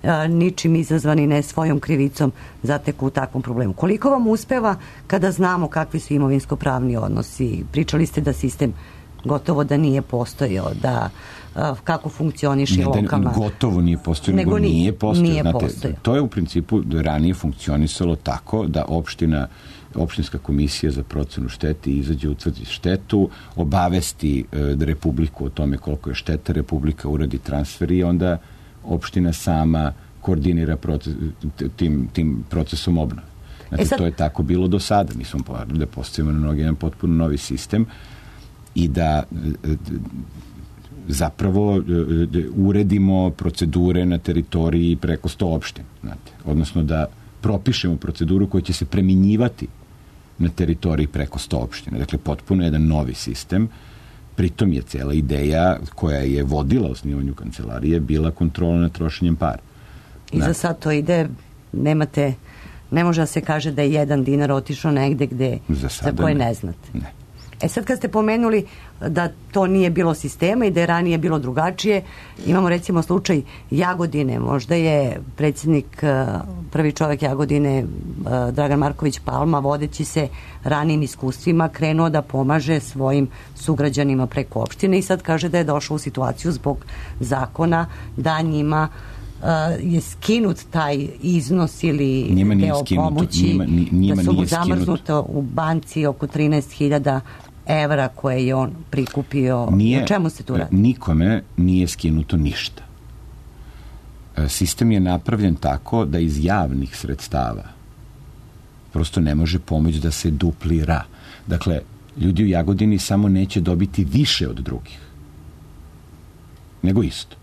Speaker 4: uh, ničim izazvani, ne svojom krivicom zateku u takvom problemu. Koliko vam uspeva kada znamo kakvi su imovinsko-pravni odnosi? Pričali ste da sistem gotovo da nije postojao, da uh, kako funkcioniše
Speaker 3: ne,
Speaker 4: lokalna...
Speaker 3: Gotovo nije postojao, nego, nego nije postojao.
Speaker 4: Nije
Speaker 3: Znate,
Speaker 4: postojao.
Speaker 3: To je u principu ranije funkcionisalo tako da opština opštinska komisija za procenu štete izađe, utvrdi štetu, obavesti e, Republiku o tome koliko je šteta, Republika uradi transfer i onda opština sama koordinira proces, tim, tim procesom obnove. Znači, e sad... to je tako bilo do sada. Mi smo povedali da postavimo na noge jedan potpuno novi sistem i da e, zapravo e, uredimo procedure na teritoriji preko sto opština. Znate. Odnosno da propišemo proceduru koja će se preminjivati na teritoriji preko sto opština. Dakle, potpuno jedan novi sistem. Pritom je cela ideja koja je vodila osnivanju kancelarije bila kontrola nad trošenjem para.
Speaker 4: I za sad to ide, nemate, ne može da se kaže da je jedan dinar otišao negde gde, za, za koje ne, ne znate.
Speaker 3: Ne.
Speaker 4: E sad kad ste pomenuli da to nije bilo sistema i da je ranije bilo drugačije, imamo recimo slučaj Jagodine, možda je predsjednik, prvi čovjek Jagodine, Dragan Marković Palma, vodeći se ranijim iskustvima, krenuo da pomaže svojim sugrađanima preko opštine i sad kaže da je došao u situaciju zbog zakona da njima Uh, je skinut taj iznos ili
Speaker 3: njima
Speaker 4: deo
Speaker 3: skinuto,
Speaker 4: pomoći,
Speaker 3: njima, njima
Speaker 4: da su mu
Speaker 3: zamrznuto
Speaker 4: zamrznuto u banci oko trinaest hiljada evra koje je on prikupio.
Speaker 3: Nije,
Speaker 4: o čemu se tu radi?
Speaker 3: Nikome nije skinuto ništa. Sistem je napravljen tako da iz javnih sredstava prosto ne može pomoć da se duplira. Dakle, ljudi u Jagodini samo neće dobiti više od drugih, nego isto.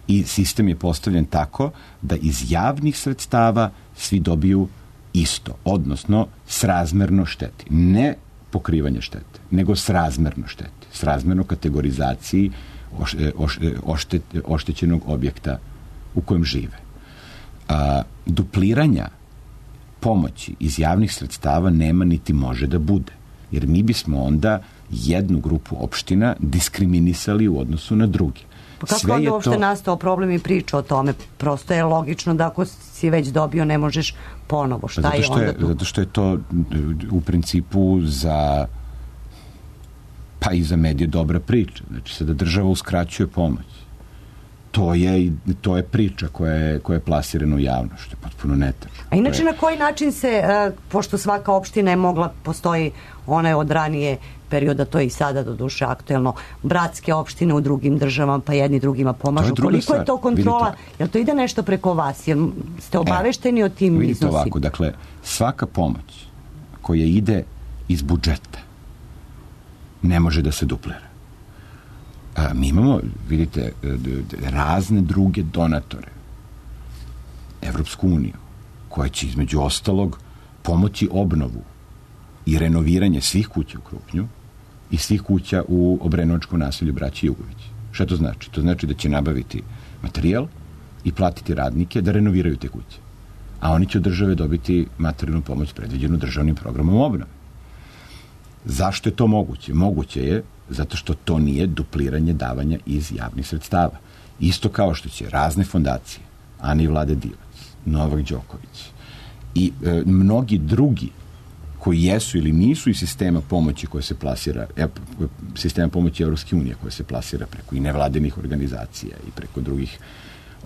Speaker 3: I sistem je postavljen tako da iz javnih sredstava svi dobiju isto, odnosno srazmerno šteti. Ne pokrivanje štete, nego srazmerno šteti. Srazmerno kategorizaciji oš, oš, oštet, oštećenog objekta u kojem žive. A, dupliranja pomoći iz javnih sredstava nema niti može da bude. Jer mi bismo onda jednu grupu opština diskriminisali u odnosu na druge.
Speaker 4: Pa kako onda uopšte to... nastao problem i priča o tome? Prosto je logično da ako si već dobio ne možeš ponovo. Šta
Speaker 3: zato
Speaker 4: je onda
Speaker 3: je,
Speaker 4: tu?
Speaker 3: Zato što je to u principu za pa i za medije dobra priča. Znači sada država uskraćuje pomoć. To je, to je priča koja je, koja je plasirana u javnost, što je potpuno netačno.
Speaker 4: A inače
Speaker 3: je...
Speaker 4: na koji način se, pošto svaka opština je mogla, postoji one od ranije perioda, to je i sada do duše aktuelno, bratske opštine u drugim državama, pa jedni drugima pomažu.
Speaker 3: Je
Speaker 4: Koliko
Speaker 3: stvar.
Speaker 4: je to kontrola?
Speaker 3: Vidite,
Speaker 4: jel to ide nešto preko vas? Jel ste obavešteni
Speaker 3: e,
Speaker 4: o tim
Speaker 3: vidite
Speaker 4: iznosima?
Speaker 3: Ovako, dakle, svaka pomoć koja ide iz budžeta ne može da se duplira. A, mi imamo, vidite, razne druge donatore. Evropsku uniju, koja će između ostalog pomoći obnovu i renoviranje svih kuća u Krupnju i svih kuća u Obrenovačkom naselju Braće Jugović. Šta to znači? To znači da će nabaviti materijal i platiti radnike da renoviraju te kuće. A oni će od države dobiti materijalnu pomoć predviđenu državnim programom obnove. Zašto je to moguće? Moguće je zato što to nije dupliranje davanja iz javnih sredstava. Isto kao što će razne fondacije, Ana i Vlade Divac, Novak Đoković i e, mnogi drugi koji jesu ili nisu iz sistema pomoći koje se plasira, e, sistema pomoći Evropske unije koje se plasira preko i nevladenih organizacija i preko drugih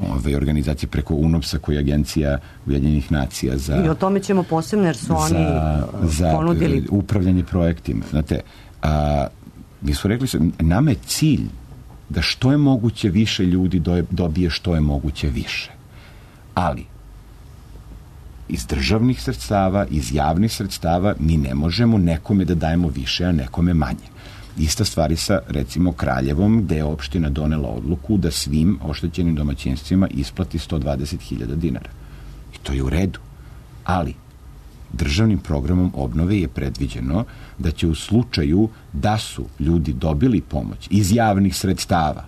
Speaker 3: ove organizacije, preko U N O P S-a koji je agencija Ujedinjenih nacija za...
Speaker 4: I o tome ćemo posebno jer su oni
Speaker 3: za,
Speaker 4: ponudili...
Speaker 3: Za upravljanje projektima. Znate, a, mi su rekli, nama je cilj da što je moguće više ljudi dobije što je moguće više. Ali, iz državnih sredstava, iz javnih sredstava, mi ne možemo nekome da dajemo više, a nekome manje. Ista stvari sa, recimo, Kraljevom, gde je opština donela odluku da svim oštećenim domaćinstvima isplati sto dvadeset hiljada dinara. I to je u redu. Ali, državnim programom obnove je predviđeno da će u slučaju da su ljudi dobili pomoć iz javnih sredstava,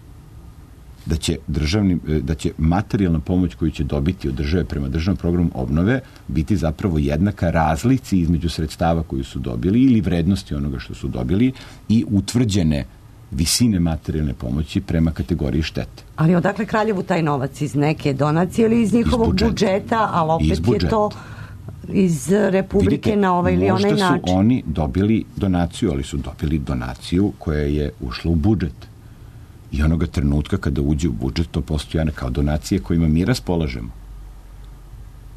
Speaker 3: da će, državni, da će materijalna pomoć koju će dobiti od države prema državnom programu obnove biti zapravo jednaka razlici između sredstava koju su dobili ili vrednosti onoga što su dobili i utvrđene visine materijalne pomoći prema kategoriji štete.
Speaker 4: Ali odakle Kraljevu taj novac? Iz neke donacije ili iz njihovog iz budžeta. budžeta, ali opet je to iz Republike. Vidite, na ovaj ili onaj način.
Speaker 3: Možda su oni dobili donaciju, ali su dobili donaciju koja je ušla u budžet. I onoga trenutka kada uđe u budžet, to postoje kao donacije kojima mi raspolažemo.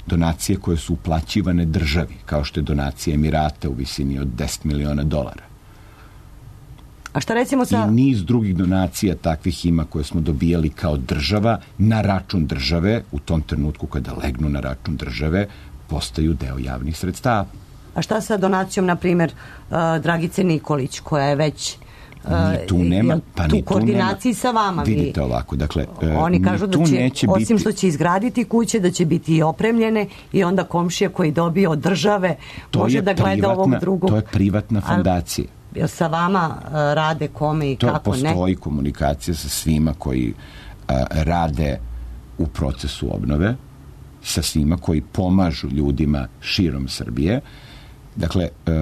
Speaker 3: Donacije koje su uplaćivane državi, kao što je donacija Emirata u visini od deset miliona dolara.
Speaker 4: A šta recimo sa...
Speaker 3: I niz drugih donacija takvih ima koje smo dobijali kao država na račun države, u tom trenutku kada legnu na račun države, postaju deo javnih sredstava.
Speaker 4: A šta sa donacijom, na primjer, uh, Dragice Nikolić, koja je već...
Speaker 3: Ni tu nema, pa
Speaker 4: tu
Speaker 3: ni tu
Speaker 4: koordinaciji
Speaker 3: nema.
Speaker 4: sa vama.
Speaker 3: Vidite ovako, dakle,
Speaker 4: oni kažu da će, osim
Speaker 3: biti...
Speaker 4: što će izgraditi kuće, da će biti i opremljene i onda komšija koji dobije od države
Speaker 3: to
Speaker 4: može da gleda
Speaker 3: privatna,
Speaker 4: ovog drugog.
Speaker 3: To je privatna fondacija.
Speaker 4: Jel sa vama uh, rade kome i
Speaker 3: to
Speaker 4: kako
Speaker 3: postoji
Speaker 4: ne?
Speaker 3: Postoji komunikacija sa svima koji uh, rade u procesu obnove, sa svima koji pomažu ljudima širom Srbije. Dakle, uh,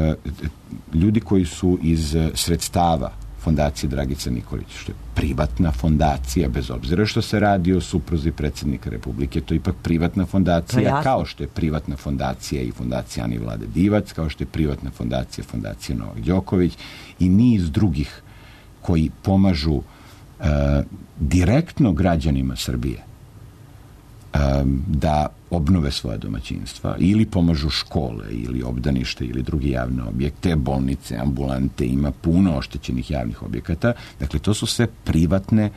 Speaker 3: ljudi koji su iz sredstava fondacije Dragice Nikolić, što je privatna fondacija, bez obzira što se radi o supruzi predsjednika Republike, to je ipak privatna fondacija, kao što je privatna fondacija i fondacija Ani Vlade Divac, kao što je privatna fondacija, fondacija Novak Đoković i niz drugih koji pomažu uh, direktno građanima Srbije um, da obnove svoje domaćinstva ili pomažu škole ili obdanište ili drugi javne objekte, bolnice, ambulante, ima puno oštećenih javnih objekata. Dakle, to su sve privatne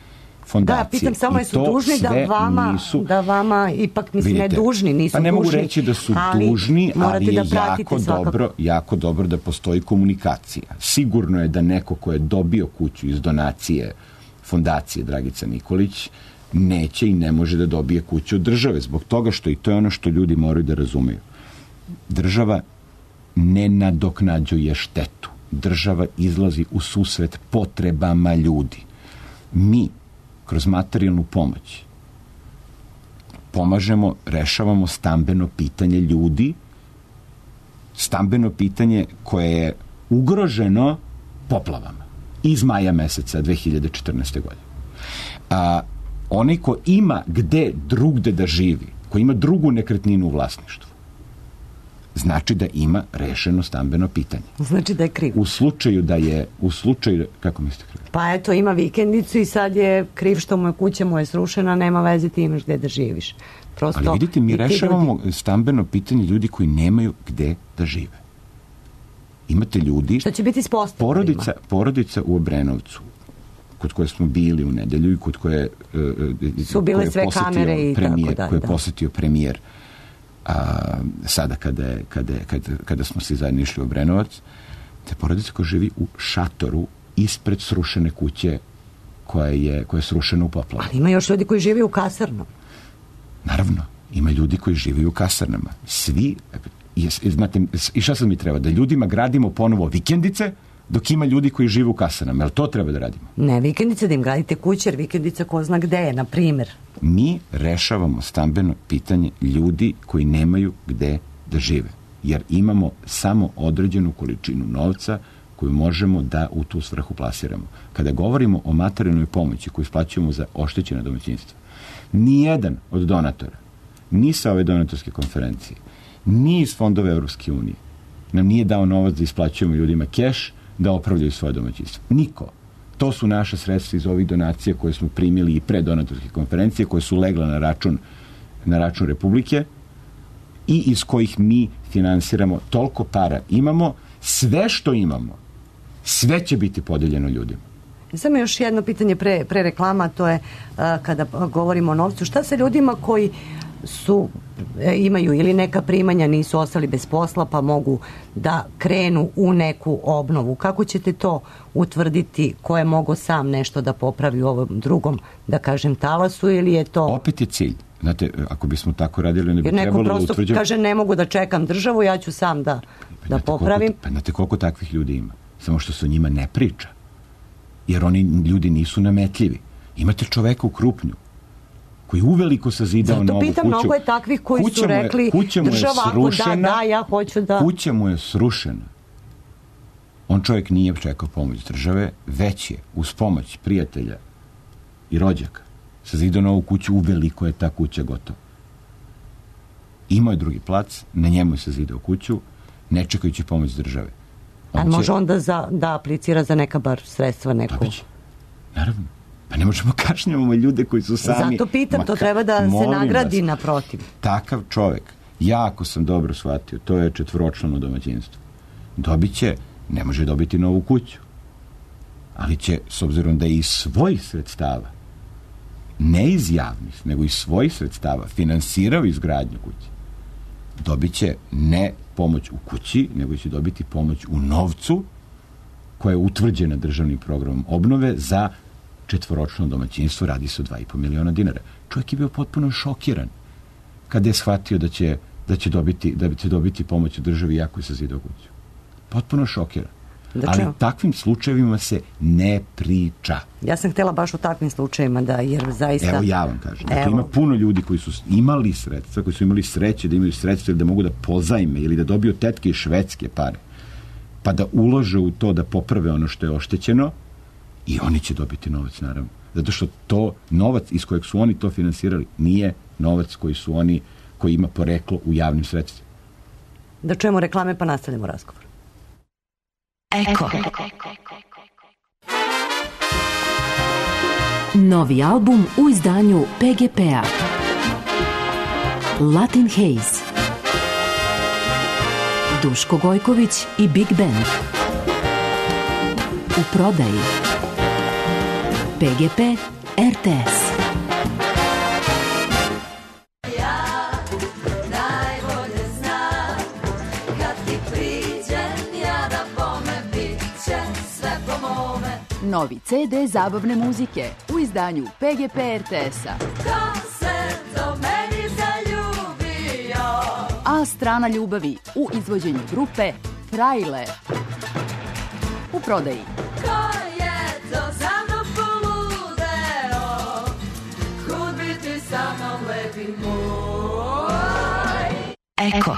Speaker 3: fondacije.
Speaker 4: Da, pitam samo, jesu dužni da vama, nisu, da vama ipak, mislim, vidite, ne dužni, nisu
Speaker 3: pa ne
Speaker 4: dužni.
Speaker 3: mogu reći da su dužni, ali je
Speaker 4: da
Speaker 3: jako dobro, jako dobro da postoji komunikacija. Sigurno je da neko ko je dobio kuću iz donacije fondacije Dragica Nikolić, neće i ne može da dobije kuću od države, zbog toga što, i to je ono što ljudi moraju da razumeju, država ne nadoknađuje štetu. Država izlazi u susret potrebama ljudi. Mi, kroz materijalnu pomoć, pomažemo, rešavamo stambeno pitanje ljudi, stambeno pitanje koje je ugroženo poplavama iz maja meseca dve hiljade četrnaeste. godine. A onaj ko ima gde drugde da živi, ko ima drugu nekretninu u vlasništvu, znači da ima rešeno stambeno pitanje.
Speaker 4: Znači da je kriv.
Speaker 3: U slučaju da je, u slučaju, kako mislite kriv?
Speaker 4: Pa eto, ima vikendicu i sad je kriv što mu je kuća mu je srušena, nema veze, ti imaš gde da živiš. Prosto,
Speaker 3: ali vidite, mi
Speaker 4: i ti
Speaker 3: rešavamo
Speaker 4: ljudi-
Speaker 3: stambeno pitanje ljudi koji nemaju gde da žive. Imate ljudi...
Speaker 4: Šta će biti s posteljima?
Speaker 3: Porodica, porodica u Obrenovcu, kod koje smo bili u nedelju i kod koje, e,
Speaker 4: Su bile
Speaker 3: koje je
Speaker 4: sve
Speaker 3: posetio
Speaker 4: kamere i
Speaker 3: premijer,
Speaker 4: tako dalje,
Speaker 3: koje je
Speaker 4: da.
Speaker 3: posetio premijer a, sada kada, je, kada, je, kada, kada smo svi zajedno išli u Obrenovac, te porodica koja živi u šatoru ispred srušene kuće koja je, koja je srušena u poplavu.
Speaker 4: Ali ima još ljudi koji žive u kasarnom.
Speaker 3: Naravno, ima ljudi koji žive u kasarnama. Svi, i, znate, i šta sad mi treba? Da ljudima gradimo ponovo vikendice, dok ima ljudi koji žive u kasarnama. Jel to treba da radimo?
Speaker 4: Ne, vikendice da im gradite kuće, jer vikendica ko zna gde je, na primjer.
Speaker 3: Mi rešavamo stambeno pitanje ljudi koji nemaju gde da žive. Jer imamo samo određenu količinu novca koju možemo da u tu svrhu plasiramo. Kada govorimo o materijalnoj pomoći koju isplaćujemo za oštećena domaćinstva, nijedan od donatora, ni sa ove donatorske konferencije, ni iz fondova Evropske unije, nam nije dao novac da isplaćujemo ljudima keš da opravljaju svoje domaćinstvo. Niko. To su naša sredstva iz ovih donacija koje smo primili i pre donatorske konferencije, koje su legla na račun, na račun Republike i iz kojih mi finansiramo, toliko para imamo, sve što imamo, sve će biti podeljeno ljudima.
Speaker 4: Samo još jedno pitanje pre, pre reklama, to je a, kada govorimo o novcu. Šta sa ljudima koji su, e, imaju ili neka primanja, nisu ostali bez posla, pa mogu da krenu u neku obnovu? Kako ćete to utvrditi ko je mogao sam nešto da popravi u ovom drugom, da kažem, talasu, ili je to...
Speaker 3: Opet je cilj. Znate, ako bismo tako radili, ne bi
Speaker 4: Jer neko
Speaker 3: trebalo da
Speaker 4: prosto
Speaker 3: utvrđujemo...
Speaker 4: kaže ne mogu da čekam državu, ja ću sam da,
Speaker 3: Pa
Speaker 4: da
Speaker 3: znate
Speaker 4: popravim.
Speaker 3: Koliko, pa znate koliko takvih ljudi ima? Samo što se o njima ne priča. Jer oni ljudi nisu nametljivi. Imate čoveka u Krupnju koji uveliko sazidao
Speaker 4: Zato
Speaker 3: novu
Speaker 4: pitam,
Speaker 3: kuću.
Speaker 4: mnogo je takvih koji
Speaker 3: Kuća
Speaker 4: su
Speaker 3: mu je-
Speaker 4: rekli,
Speaker 3: kuća mu je
Speaker 4: država, ako
Speaker 3: srušena,
Speaker 4: da, da, ja hoću da...
Speaker 3: Kuća mu je srušena. On čovjek nije čekao pomoć države, već je uz pomoć prijatelja i rođaka sazidao novu kuću, uveliko je ta kuća gotova. Imao je drugi plac, na njemu je sazidao kuću, ne čekajući pomoć države. On
Speaker 4: A
Speaker 3: će-
Speaker 4: može onda za, da aplicira za neka bar sredstva neku?
Speaker 3: Dobiće. Naravno. Pa ne možemo kašnjavamo ljude koji su sami...
Speaker 4: Zato pitam,
Speaker 3: Ma
Speaker 4: to
Speaker 3: ka-
Speaker 4: treba da se
Speaker 3: molim
Speaker 4: nagradi
Speaker 3: vas,
Speaker 4: naprotiv.
Speaker 3: Takav čovjek, ja ako sam dobro shvatio, to je četvoročlano domaćinstvo. Dobit će, ne može dobiti novu kuću, ali će, s obzirom da je iz svojih sredstava, ne iz javnih, nego iz svojih sredstava, finansirao izgradnju kuće, dobit će ne pomoć u kući, nego će dobiti pomoć u novcu koja je utvrđena državnim programom obnove za četvoročno domaćinstvo, radi se o dva i po miliona dinara. Čovjek je bio potpuno šokiran kada je shvatio da će, da će, dobiti, da će dobiti pomoć u državi jako je sazidao kuću. Potpuno šokiran.
Speaker 4: Da
Speaker 3: Ali
Speaker 4: čemu?
Speaker 3: takvim slučajevima se ne priča.
Speaker 4: Ja sam htjela baš u takvim slučajima da, jer zaista...
Speaker 3: Evo ja vam kažem. Dakle,
Speaker 4: Evo.
Speaker 3: ima puno ljudi koji su imali sredstva, koji su imali sreće da imaju sredstva ili da mogu da pozajme ili da dobiju tetke iz Švedske pare, pa da ulože u to da poprave ono što je oštećeno i oni će dobiti novac, naravno. Zato što to novac iz kojeg su oni to finansirali nije novac koji su oni, koji ima poreklo u javnim sredstvima.
Speaker 4: Da čujemo reklame pa nastavljamo razgovor.
Speaker 2: Eko. Novi album u izdanju P G P-a. Latin Haze. Duško Gojković i Big Band. U prodaji. P G P R T S.
Speaker 7: Novi ce de zabavne muzike u izdanju P G P R T S-a. A strana ljubavi u izvođenju grupe Trailer. U prodaji.
Speaker 2: Eko.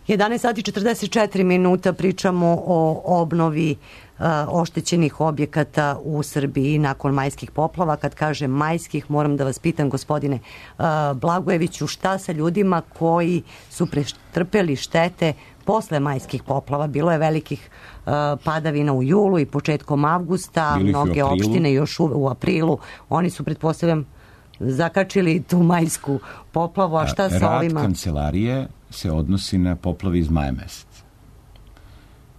Speaker 4: jedanaest sati i četrdeset četiri minuta, pričamo o obnovi uh, oštećenih objekata u Srbiji nakon majskih poplava. Kad kažem majskih, moram da vas pitam, gospodine uh, Blagojeviću, šta sa ljudima koji su pretrpeli štete posle majskih poplava? Bilo je velikih uh, padavina u julu i početkom avgusta,
Speaker 3: Bili
Speaker 4: mnoge opštine još u, u aprilu. Oni su, pretpostavljam, zakačili tu majsku poplavu, a šta sa ovima?
Speaker 3: Rad kancelarije se odnosi na poplave iz maja meseca.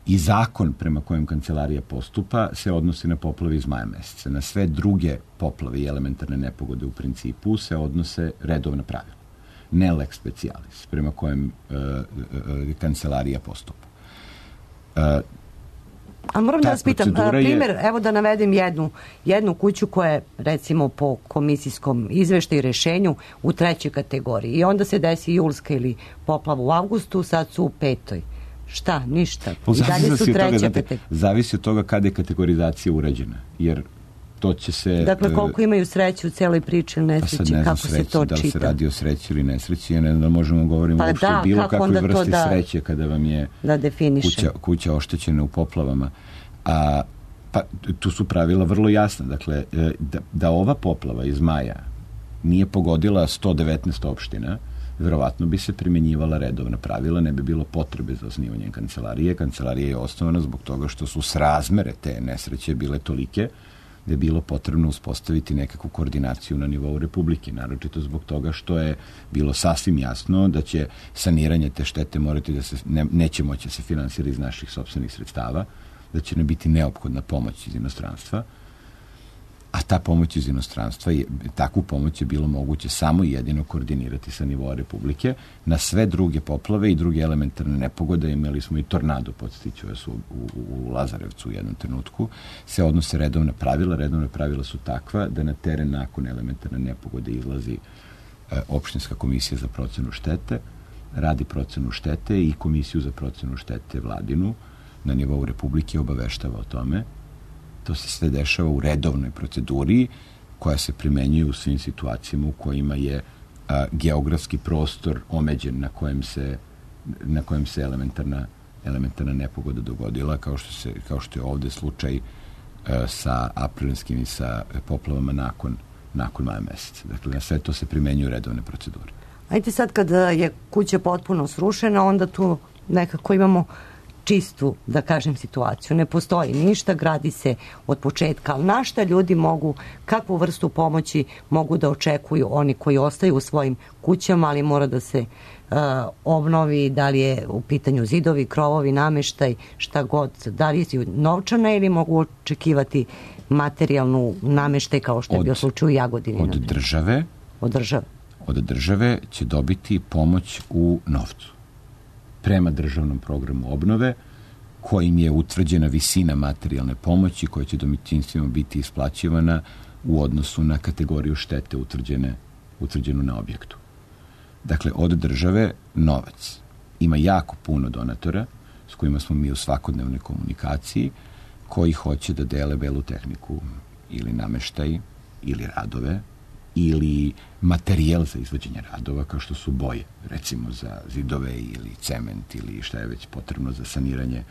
Speaker 3: I zakon prema kojem kancelarija postupa se odnosi na poplave iz maja meseca. Na sve druge poplave i elementarne nepogode u principu se odnose redovna pravila. Ne lex specialis, prema kojem uh, uh, kancelarija postupa. Uh,
Speaker 4: A moram da vas pitam, primjer,
Speaker 3: je...
Speaker 4: evo da navedem jednu, jednu kuću koja je, recimo, po komisijskom izveštaju i rešenju u trećoj kategoriji. I onda se desi julska ili poplava u avgustu, sad su u petoj. Šta? Ništa. I dalje su treća kategorija.
Speaker 3: Zavisi od toga kada je kategorizacija urađena. Jer to će se...
Speaker 4: Dakle, koliko imaju sreće u celoj priči ili nesreći,
Speaker 3: pa sad ne znam
Speaker 4: kako
Speaker 3: sreće,
Speaker 4: se to
Speaker 3: da li
Speaker 4: čita?
Speaker 3: se radi o sreći ili nesreći, ja ne znam da možemo govoriti
Speaker 4: pa
Speaker 3: uopšte
Speaker 4: da,
Speaker 3: bilo kakve vrste
Speaker 4: da,
Speaker 3: sreće kada vam je
Speaker 4: da
Speaker 3: kuća, kuća oštećena u poplavama. A, pa tu su pravila vrlo jasna. Dakle, da, da ova poplava iz maja nije pogodila sto devetnaest opština, verovatno bi se primjenjivala redovna pravila, ne bi bilo potrebe za osnivanjem kancelarije. Kancelarija je osnovana zbog toga što su srazmere te nesreće bile tolike da je bilo potrebno uspostaviti nekakvu koordinaciju na nivou Republike, naročito zbog toga što je bilo sasvim jasno da će saniranje te štete morati da se, ne, neće moći da se finansira iz naših sopstvenih sredstava, da će ne biti neophodna pomoć iz inostranstva, a ta pomoć iz inostranstva, je, takvu pomoć je bilo moguće samo i jedino koordinirati sa nivoa Republike. Na sve druge poplave i druge elementarne nepogode, imali smo i tornado, podstiću vas, u, u, u Lazarevcu u jednom trenutku, se odnose redovna pravila. Redovna pravila su takva da na teren nakon elementarne nepogode izlazi e, opštinska komisija za procenu štete, radi procenu štete i komisiju za procenu štete vladinu na nivou Republike obaveštava o tome. To se sve dešava u redovnoj proceduri koja se primenjuje u svim situacijama u kojima je a, geografski prostor omeđen na kojem se, na kojem se elementarna, elementarna nepogoda dogodila, kao što, se, kao što je ovde slučaj a, sa aprilskim i sa poplavama nakon, nakon maja meseca. Dakle, na sve to se primenjuju redovne procedure.
Speaker 4: Ajde sad kada je kuća potpuno srušena, onda tu nekako imamo čistu, da kažem, situaciju. Ne postoji ništa, gradi se od početka, ali na šta ljudi mogu, kakvu vrstu pomoći mogu da očekuju oni koji ostaju u svojim kućama, ali mora da se uh, obnovi, da li je u pitanju zidovi, krovovi, nameštaj, šta god, da li je novčana ili mogu očekivati materijalnu nameštaj kao što je bio slučaj u Jagodini.
Speaker 3: Od države,
Speaker 4: od države.
Speaker 3: Od države će dobiti pomoć u novcu. Prema državnom programu obnove, kojim je utvrđena visina materijalne pomoći koja će domaćinstvima biti isplaćivana u odnosu na kategoriju štete utvrđene, utvrđenu na objektu. Dakle, od države novac. Ima jako puno donatora s kojima smo mi u svakodnevnoj komunikaciji, koji hoće da dele belu tehniku ili nameštaj ili radove ili materijal za izvođenje radova, kao što su boje, recimo za zidove ili cement ili šta je već potrebno za saniranje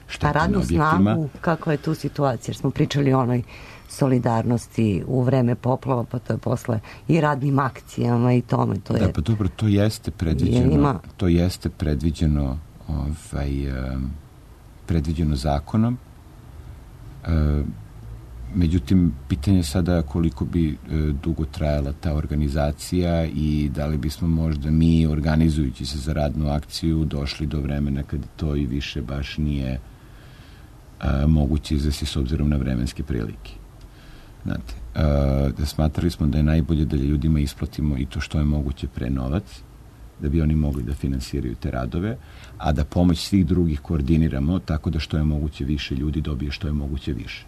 Speaker 3: štete na objektima. A radnu snagu,
Speaker 4: kako je tu situacija? Jer smo pričali o onoj solidarnosti u vreme poplava, pa to je posle i radnim akcijama i tome. To je,
Speaker 3: da, pa dobro, to jeste predviđeno, je, ima... to jeste predviđeno ovaj, predviđeno zakonom. Uh, Međutim, pitanje je sada koliko bi e, dugo trajala ta organizacija i da li bismo možda mi, organizujući se za radnu akciju, došli do vremena kad to i više baš nije a, moguće izvesti s obzirom na vremenske prilike. Znate, a, da smatrali smo da je najbolje da ljudima isplatimo i to što je moguće pre novac, da bi oni mogli da finansiraju te radove, a da pomoć svih drugih koordiniramo tako da što je moguće više ljudi dobije što je moguće više.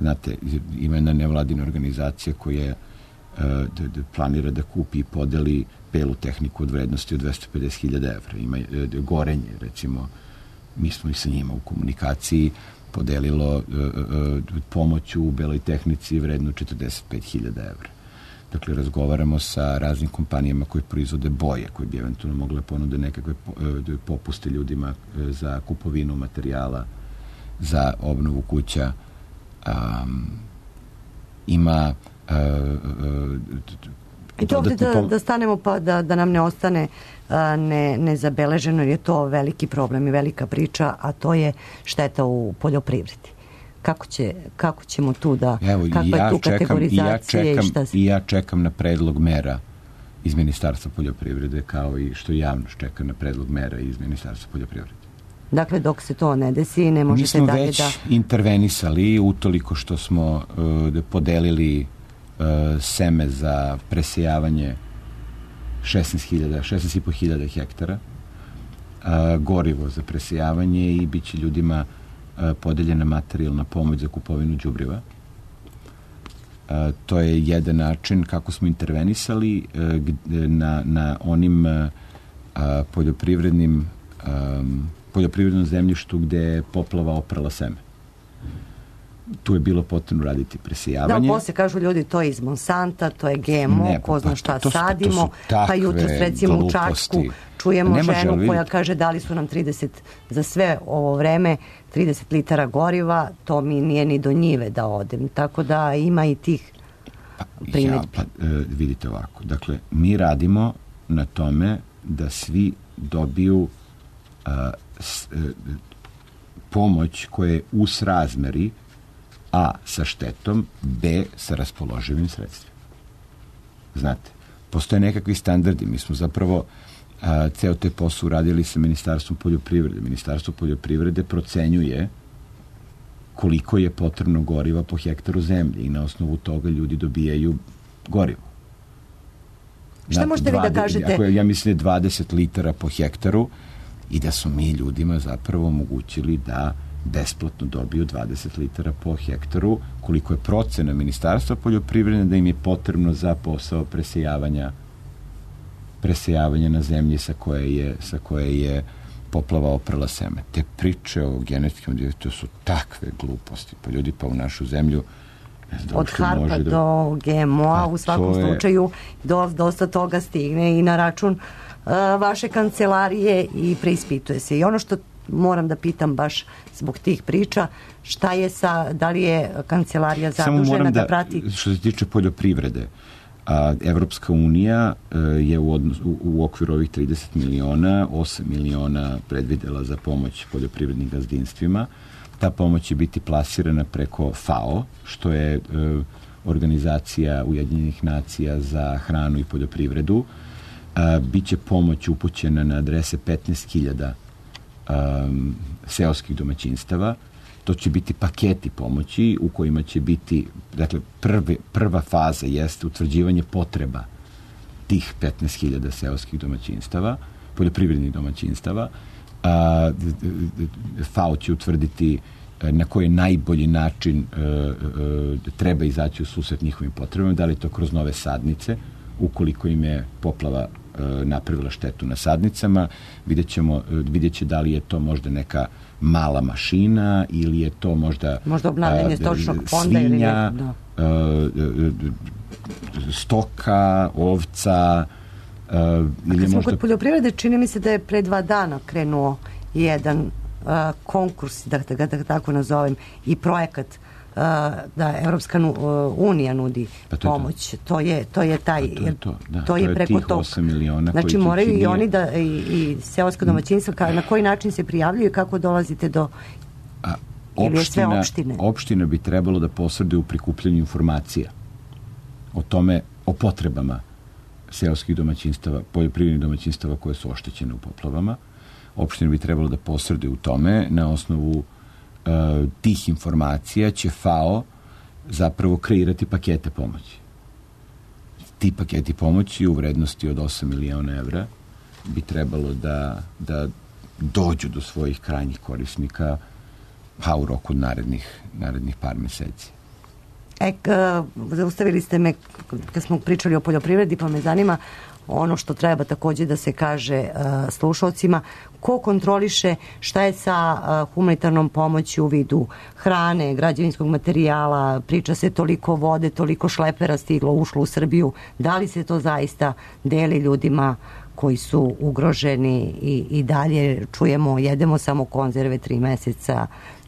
Speaker 3: Znate, ima jedna nevladina organizacija koja da, da planira da kupi i podeli belu tehniku od vrednosti od dvesta pedeset hiljada evra. Ima da, Gorenje, recimo, mi smo i sa njima u komunikaciji, podelilo uh, uh, pomoć u beloj tehnici vrednu četrdeset pet hiljada evra. Dakle, razgovaramo sa raznim kompanijama koje proizvode boje, koje bi eventualno mogle ponude nekakve uh, popuste ljudima uh, za kupovinu materijala, za obnovu kuća. Um, ima uh, uh,
Speaker 4: I to ovdje da,
Speaker 3: pom-
Speaker 4: da stanemo pa da, da nam ne ostane a, ne, nezabeleženo, jer je to veliki problem i velika priča, a to je šteta u poljoprivredi. Kako, će, kako ćemo tu da,
Speaker 3: Evo,
Speaker 4: kakva
Speaker 3: ja
Speaker 4: je tu
Speaker 3: čekam,
Speaker 4: kategorizacija
Speaker 3: i ja čekam,
Speaker 4: i šta se...
Speaker 3: I ja čekam na predlog mera iz Ministarstva poljoprivrede, kao i što javnost čeka na predlog mera iz Ministarstva poljoprivrede.
Speaker 4: Dakle, dok se to ne desi, ne možete
Speaker 3: Mi smo
Speaker 4: dalje
Speaker 3: već
Speaker 4: da...
Speaker 3: intervenisali utoliko što smo uh, podelili uh, seme za presejavanje šesnaest hiljada, šesnaest i po hiljada hektara, uh, gorivo za presejavanje i bit će ljudima uh, podeljena materijalna pomoć za kupovinu đubriva. Uh, to je jedan način kako smo intervenisali uh, gde, na, na onim uh, poljoprivrednim um, poljoprivrednom zemljištu gde je poplava oprala seme. Tu je bilo potrebno raditi presijavanje.
Speaker 4: Da, posle kažu ljudi to je iz Monsanta, to je G M O,
Speaker 3: ne,
Speaker 4: ko zna
Speaker 3: pa,
Speaker 4: šta
Speaker 3: to su,
Speaker 4: sadimo,
Speaker 3: to su takve
Speaker 4: pa jutros recimo u Čačku čujemo
Speaker 3: Nema
Speaker 4: ženu
Speaker 3: žel,
Speaker 4: koja kaže dali su nam trideset za sve ovo vreme trideset litara goriva, to mi nije ni do njive da odem. Tako da ima i tih
Speaker 3: pa,
Speaker 4: primjedbi.
Speaker 3: ja, pa, e, vidite ovako, dakle, mi radimo na tome da svi dobiju a, s, e, pomoć koja je u srazmeri A sa štetom, B sa raspoloživim sredstvima. Znate, postoje nekakvi standardi. Mi smo zapravo a, ceo te posao uradili sa Ministarstvom poljoprivrede. Ministarstvo poljoprivrede procenjuje koliko je potrebno goriva po hektaru zemlje i na osnovu toga ljudi dobijaju gorivo.
Speaker 4: Šta
Speaker 3: Znate,
Speaker 4: možete vi da kažete?
Speaker 3: Ako je, ja mislim, dvadeset litara po hektaru i da su mi ljudima zapravo omogućili da besplatno dobiju dvadeset litara po hektaru, koliko je procena Ministarstva poljoprivrede da im je potrebno za posao presejavanja presejavanja na zemlji sa koje je, sa koje je poplava oprala seme. Te priče o genetskim to su takve gluposti. Pa ljudi pa u našu zemlju
Speaker 4: da od harpa da... do G M O-a u svakom je... slučaju do, dosta toga stigne i na račun uh, vaše kancelarije i preispituje se. I ono što moram da pitam baš zbog tih priča, šta je sa, da li je kancelarija zadužena da, da prati...
Speaker 3: Što se tiče poljoprivrede, a, Evropska unija a, je u, odnos, u, u okviru ovih trideset miliona, osam miliona predvidela za pomoć poljoprivrednim gazdinstvima. Ta pomoć će biti plasirana preko F A O, što je a, organizacija Ujedinjenih nacija za hranu i poljoprivredu. A, biće pomoć upućena na adrese petnaest hiljada Um, seoskih domaćinstava. To će biti paketi pomoći u kojima će biti, dakle, prvi, prva faza jeste utvrđivanje potreba tih petnaest hiljada seoskih domaćinstava, poljoprivrednih domaćinstava. A, F A O će utvrditi na koji najbolji način uh, uh, treba izaći u susret njihovim potrebama, da li to kroz nove sadnice, ukoliko im je poplava napravila štetu na sadnicama, vidjet ćemo, vidjet će da li je to možda neka mala mašina ili je to možda
Speaker 4: možda obnavljanje stočnog fonda ili ne, da.
Speaker 3: stoka, ovca ili
Speaker 4: kad smo
Speaker 3: možda...
Speaker 4: kod poljoprivrede, čini mi se da je pre dva dana krenuo jedan uh, konkurs, da, da ga da, tako nazovem, i projekat Uh, da Evropska unija nudi
Speaker 3: pa to
Speaker 4: pomoć. To. to je to je taj
Speaker 3: pa to, je to. Da,
Speaker 4: to,
Speaker 3: to
Speaker 4: je
Speaker 3: je
Speaker 4: preko
Speaker 3: tih osam miliona.
Speaker 4: Znači moraju i oni da i, i seoska domaćinstva ka, na koji način se prijavljuju i kako dolazite do
Speaker 3: A, opština, opštine? Opština bi trebalo da posreduje u prikupljanju informacija o tome, o potrebama seoskih domaćinstava, poljoprivrednih domaćinstava koje su oštećene u poplavama. Opština bi trebalo da posreduje u tome na osnovu Uh, tih informacija će F A O zapravo kreirati pakete pomoći. Ti paketi pomoći u vrednosti od osam miliona evra bi trebalo da, da dođu do svojih krajnjih korisnika pa u roku narednih, narednih par meseci.
Speaker 4: E, k- zaustavili ste me kad smo pričali o poljoprivredi, pa me zanima ono što treba takođe da se kaže uh, slušalcima, ko kontroliše šta je sa uh, humanitarnom pomoći u vidu hrane, građevinskog materijala, priča se toliko vode, toliko šlepera stiglo, ušlo u Srbiju, da li se to zaista deli ljudima koji su ugroženi i, i dalje čujemo, jedemo samo konzerve tri meseca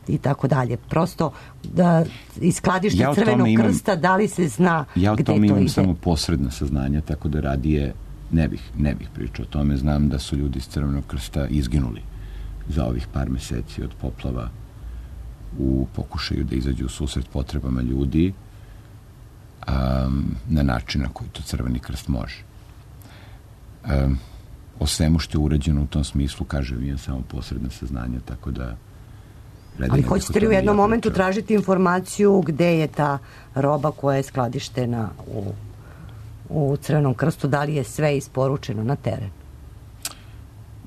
Speaker 4: i tako dalje. Prosto da iz skladišta
Speaker 3: Ja o tome
Speaker 4: Crvenog
Speaker 3: imam-
Speaker 4: krsta, da li se zna
Speaker 3: Ja o
Speaker 4: gde
Speaker 3: tome
Speaker 4: to
Speaker 3: imam
Speaker 4: ide?
Speaker 3: samo posredna saznanja, tako da radije ne bih, ne bih pričao o tome. Znam da su ljudi iz Crvenog krsta izginuli za ovih par meseci od poplava u pokušaju da izađu u susret potrebama ljudi um, na način na koji to Crveni krst može. Um, o svemu što je urađeno u tom smislu, kažem, imam samo posredna saznanja, tako da redije
Speaker 4: Ali
Speaker 3: ne bih o
Speaker 4: hoćete li u
Speaker 3: tome
Speaker 4: jednom
Speaker 3: ja
Speaker 4: momentu
Speaker 3: pričao.
Speaker 4: tražiti informaciju gde je ta roba koja je skladištena u, u Crvenom krstu, da li je sve isporučeno na teren?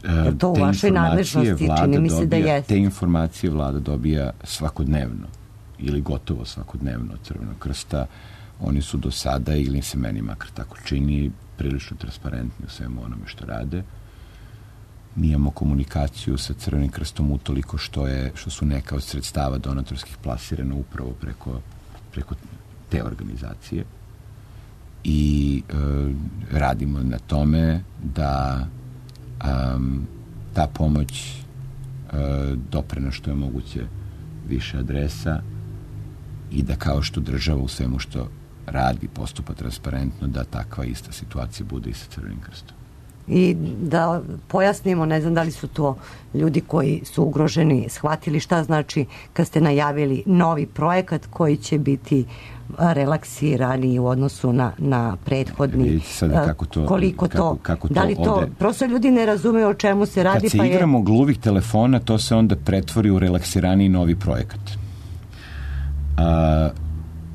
Speaker 4: Jer to u
Speaker 3: Te
Speaker 4: vašoj
Speaker 3: informacije
Speaker 4: nadležnosti,
Speaker 3: vlada
Speaker 4: čini mi se da
Speaker 3: dobija-
Speaker 4: jeste.
Speaker 3: Te informacije vlada dobija svakodnevno ili gotovo svakodnevno od Crvenog krsta. Oni su do sada, ili se meni makar tako čini, prilično transparentni u svemu onome što rade. Mi imamo komunikaciju sa Crvenim krstom utoliko što, je, što su neka od sredstava donatorskih plasirana upravo preko, preko te organizacije. I e, radimo na tome da um, ta pomoć e, dopre na što je moguće više adresa i da kao što država u svemu što radi postupa transparentno, da takva ista situacija bude i sa Crvenim krstom.
Speaker 4: I da pojasnimo, ne znam da li su to ljudi koji su ugroženi shvatili šta znači kad ste najavili novi projekat koji će biti relaksirani u odnosu na, na prethodni.
Speaker 3: Vidite sad kako to-
Speaker 4: koliko
Speaker 3: kako-
Speaker 4: to,
Speaker 3: kako to
Speaker 4: da li to,
Speaker 3: ode.
Speaker 4: prosto ljudi ne razumeju o čemu se radi,
Speaker 3: Kad se
Speaker 4: pa je...
Speaker 3: igramo gluvih telefona, to se onda pretvori u relaksiraniji novi projekat. A,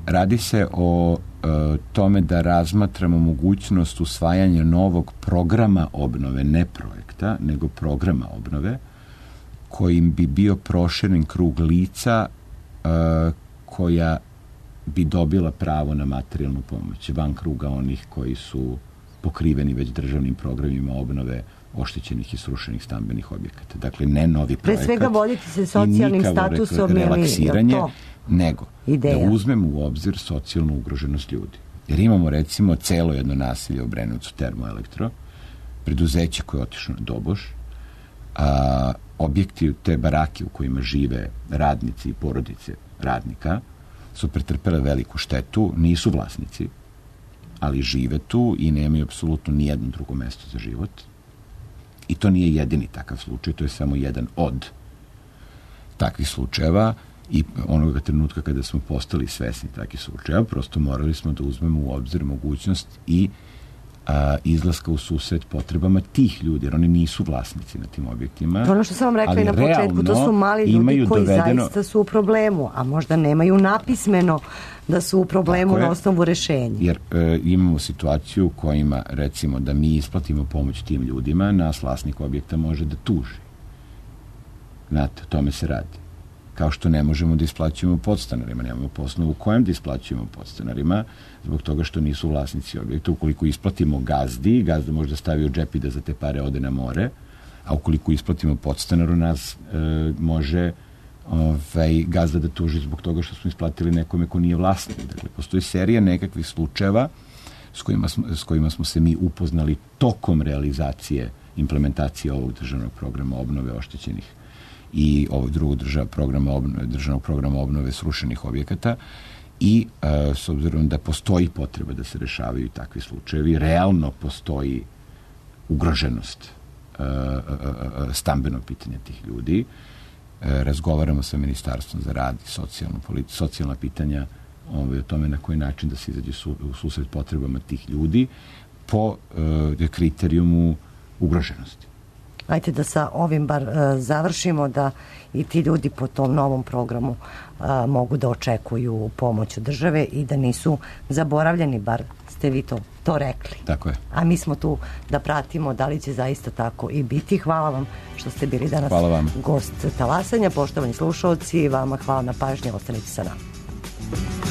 Speaker 3: radi se o e, tome da razmatramo mogućnost usvajanja novog programa obnove, ne projekta, nego programa obnove, kojim bi bio proširen krug lica e, koja bi dobila pravo na materijalnu pomoć, van kruga onih koji su pokriveni već državnim programima obnove oštećenih i srušenih stambenih objekata. Dakle, ne novi
Speaker 4: Pre
Speaker 3: projekat.
Speaker 4: svega voditi se
Speaker 3: i
Speaker 4: socijalnim
Speaker 3: nikako
Speaker 4: statusom
Speaker 3: rekla-
Speaker 4: ili je
Speaker 3: relaksiranje,
Speaker 4: to
Speaker 3: nego
Speaker 4: ideja?
Speaker 3: da uzmemo u obzir socijalnu ugroženost ljudi. Jer imamo, recimo, celo jedno nasilje u Obrenovcu, Termoelektro, preduzeće koje je otišlo na doboš, a, objekti, te barake u kojima žive radnici i porodice radnika su pretrpele veliku štetu, nisu vlasnici, ali žive tu i nemaju apsolutno nijedno drugo mesto za život. I to nije jedini takav slučaj, to je samo jedan od takvih slučajeva i onoga trenutka kada smo postali svesni takvih slučajeva, prosto morali smo da uzmemo u obzir mogućnost i a, izlaska u susret potrebama tih ljudi, jer oni nisu vlasnici na tim objektima.
Speaker 4: To ono što sam vam rekla
Speaker 3: ali
Speaker 4: i na početku, to su mali ljudi
Speaker 3: imaju
Speaker 4: koji
Speaker 3: dovedeno-
Speaker 4: zaista su u problemu, a možda nemaju napismeno da su u problemu
Speaker 3: Tako je.
Speaker 4: na osnovu rešenja.
Speaker 3: Jer e, imamo situaciju u kojima, recimo, da mi isplatimo pomoć tim ljudima, nas vlasnik objekta može da tuži. Znate, o tome se radi. Kao što ne možemo da isplaćujemo podstanarima, nemamo po osnovu kojem da isplaćujemo podstanarima, zbog toga što nisu vlasnici objekta. Ukoliko isplatimo gazdi, gazda može da stavi u džep i da za te pare ode na more, a ukoliko isplatimo podstanaru, nas e, može ovaj, gazda da tuži zbog toga što smo isplatili nekome ko nije vlasnik. Dakle, postoji serija nekakvih slučajeva s kojima smo, s kojima smo se mi upoznali tokom realizacije, implementacije ovog državnog programa obnove oštećenih i ovog drugog državnog programa obnove, državnog programa obnove srušenih objekata i e, s obzirom da postoji potreba da se rešavaju takvi slučajevi, realno postoji ugroženost e, e, e, stambeno pitanje tih ljudi. E, razgovaramo sa Ministarstvom za rad i socijalnu politi- socijalna pitanja ovaj, o tome na koji način da se izađe su, u susret potrebama tih ljudi po e, kriterijumu ugroženosti.
Speaker 4: Ajde da sa ovim bar uh, završimo, da i ti ljudi po tom novom programu uh, mogu da očekuju pomoć od države i da nisu zaboravljeni, bar ste vi to, to rekli.
Speaker 3: Tako je.
Speaker 4: A mi smo tu da pratimo da li će zaista tako i biti. Hvala vam što ste bili danas gost Talasanja. Poštovani slušalci, vama hvala na pažnji, ostanite sa nama.